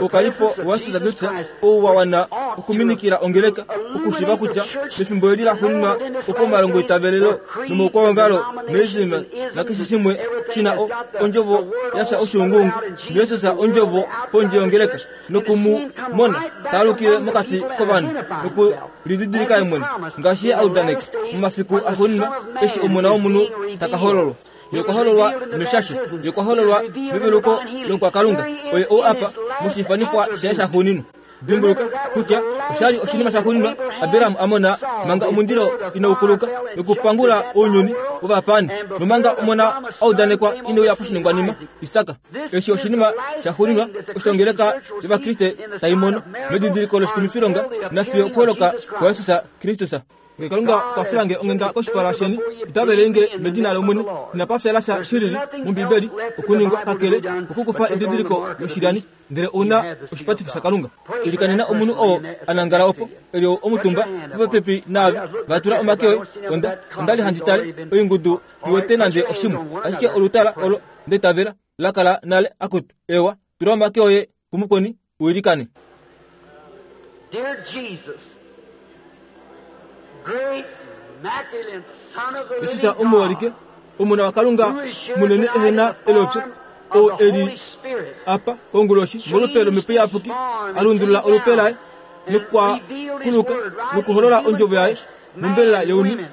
Oukalipo waJesus Kristus ou wa wana okuminikila ongeleka, okushiiva kutya mefimbo eli laxuuninwa opo omalongoitavelelo nomaukwaongalo noism nakeshe shimwe shi na o, ondjovo ya fya oshuunguungu, naJesus ondjovo pondje yongeleka, noku mu mona ta alukile mokati kovanhu noku lididilika ye mwene ngaashi ye a udaneka momafiku axuuninwa eshi Omona wOmunhu ta ka hololwa. Ye okwa hololwa meshasho, Ye okwa hololwa meveluko lOmukwakalunga. Oye ou apa moshiifanifwa shaye shaxuuninwa. Dimbuluka kutya osha li oshinima shaxuuninwa Abraham a mona manga omundilo inau kuluka nokupangula ounyuni wovapaani, nomanga omona a udanekwa ine uya poshiningwanima, Isak. Eshi oshinima shaxuuninwa osho ongeleka yOvakriste tai mono medidiliko loshikumifilonga nafiyo okuholoka kwaJesus Kristus. Nge Kalunga okwa fila nge onghenda koshipala sheni, itavele nge medina lOmwene. Inapa fyala sha shilili mOmbibeli okuningwa kakele kokukufa edidiliko loshilyani, ndele ou na oshipatifo shaKalunga. Ilikanena omunhu oo a nangala opo, e li omutumba popepi naave. Va tula omake oye. Onda, onda li handi tale oingudu i wete nande oshimwe, ashike olutala olo nda itavela la kala nale. Akutu, eewa, tula omake oye kumukweni u ilikane. Dear Jesus, great immaculate Son of the Jesus living omuholike God, omona waKalunga who is here munene tonight ehe in na the elopyo form oo of the e li Holy Spirit, apa konguloshi molupe lomhepo iyapuki a lundulula olupe laye and nokwa revealed his kuluka word right in nokuholola human ondjovo yaye flesh. mombelela younhu,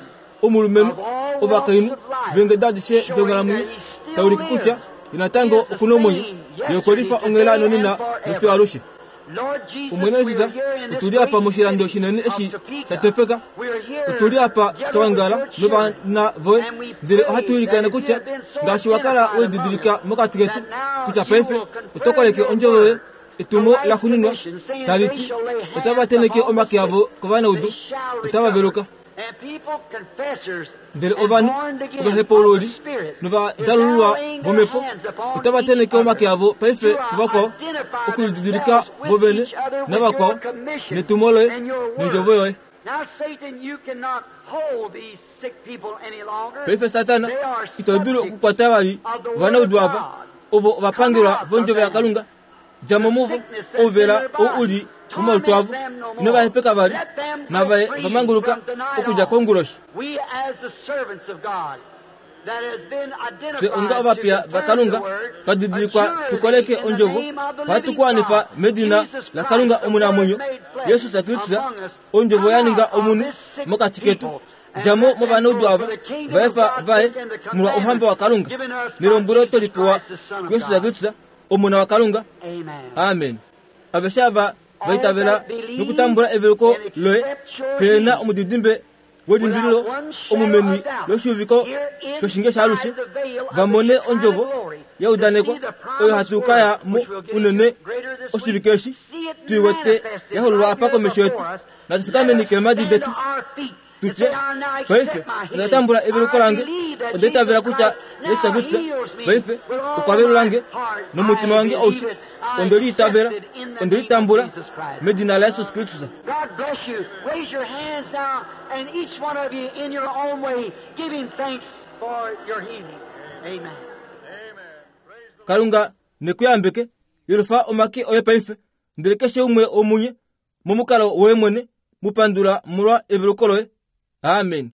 omulumenhu, ovakainhu veengeda adishe donghalamwenyo, ta ulike kutya Ye natango oku na omwenyo, Ye okwe lifa onghela nonena nofiyo alushe. Omwene Jesus, otu li apa moshilando shinene eshi sha topeka. Otu li apa twa ongala novana voye, ndele ohatu ilikana kutya ngaashi wa kala we lididilika mokati ketu, kutya paife oto koleke ondjovo yoye, etumo la xununwa, tali ti, Otava tenheke omake avo kovanaudu, otava veluka. Ndele ovanhu ovahepaululi novadalululwa vomhepo otava tenheke omake avo paife kuvakwao okulididilika vo vene navakwao netumo loye nondjovo yoye. Paife Satana, ito dulu okukwata vali ovanaudu ava ovo ovapangelwa vondjovo yaKalunga. Dja mo muvo, ouvela ou u li momalutu avo, ino va hepeka vali, nava ye va manguluka okudja konguloshi. Fye onga ovapiya vaKalunga twa didilikwa tu koleke ondjovo, ohatu ku wanifa medina laKalunga omunamwenyo, Jesus Kristus, ondjovo ya ninga omunhu mokati ketu. Dja mo movanaudu ava, va efa va ye molwa ouhamba waKalunga nelombwelo twe li pewa kuJesus Kristus, Omona waKalunga. Amen. Aveshe ava va itavela nokutambula eveluko loye pehe na omudidimbe welimbililo omu meni loshiuviko shoshinge shaalushe, va mone ondjovo ya udanekwa oyo hatu ka ya mo unene oshivike eshi tu i wete ya hololwa apa komesho yetu. Natu fikameni keemhadi detu. Tu tye, Paife, onda tambula eveluko lange. Onda itavela kutya Jesus Kristus paife okwa velula nge nomutima wange aushe. Onde li itavela. Onde li tambula medina laJesus Kristus. Kalunga ne ku yambeke. Yelufa omake oye paife, ndele keshe umwe womunye momukalo woye mwene, mu pandula molwa eveluko loye. Amen.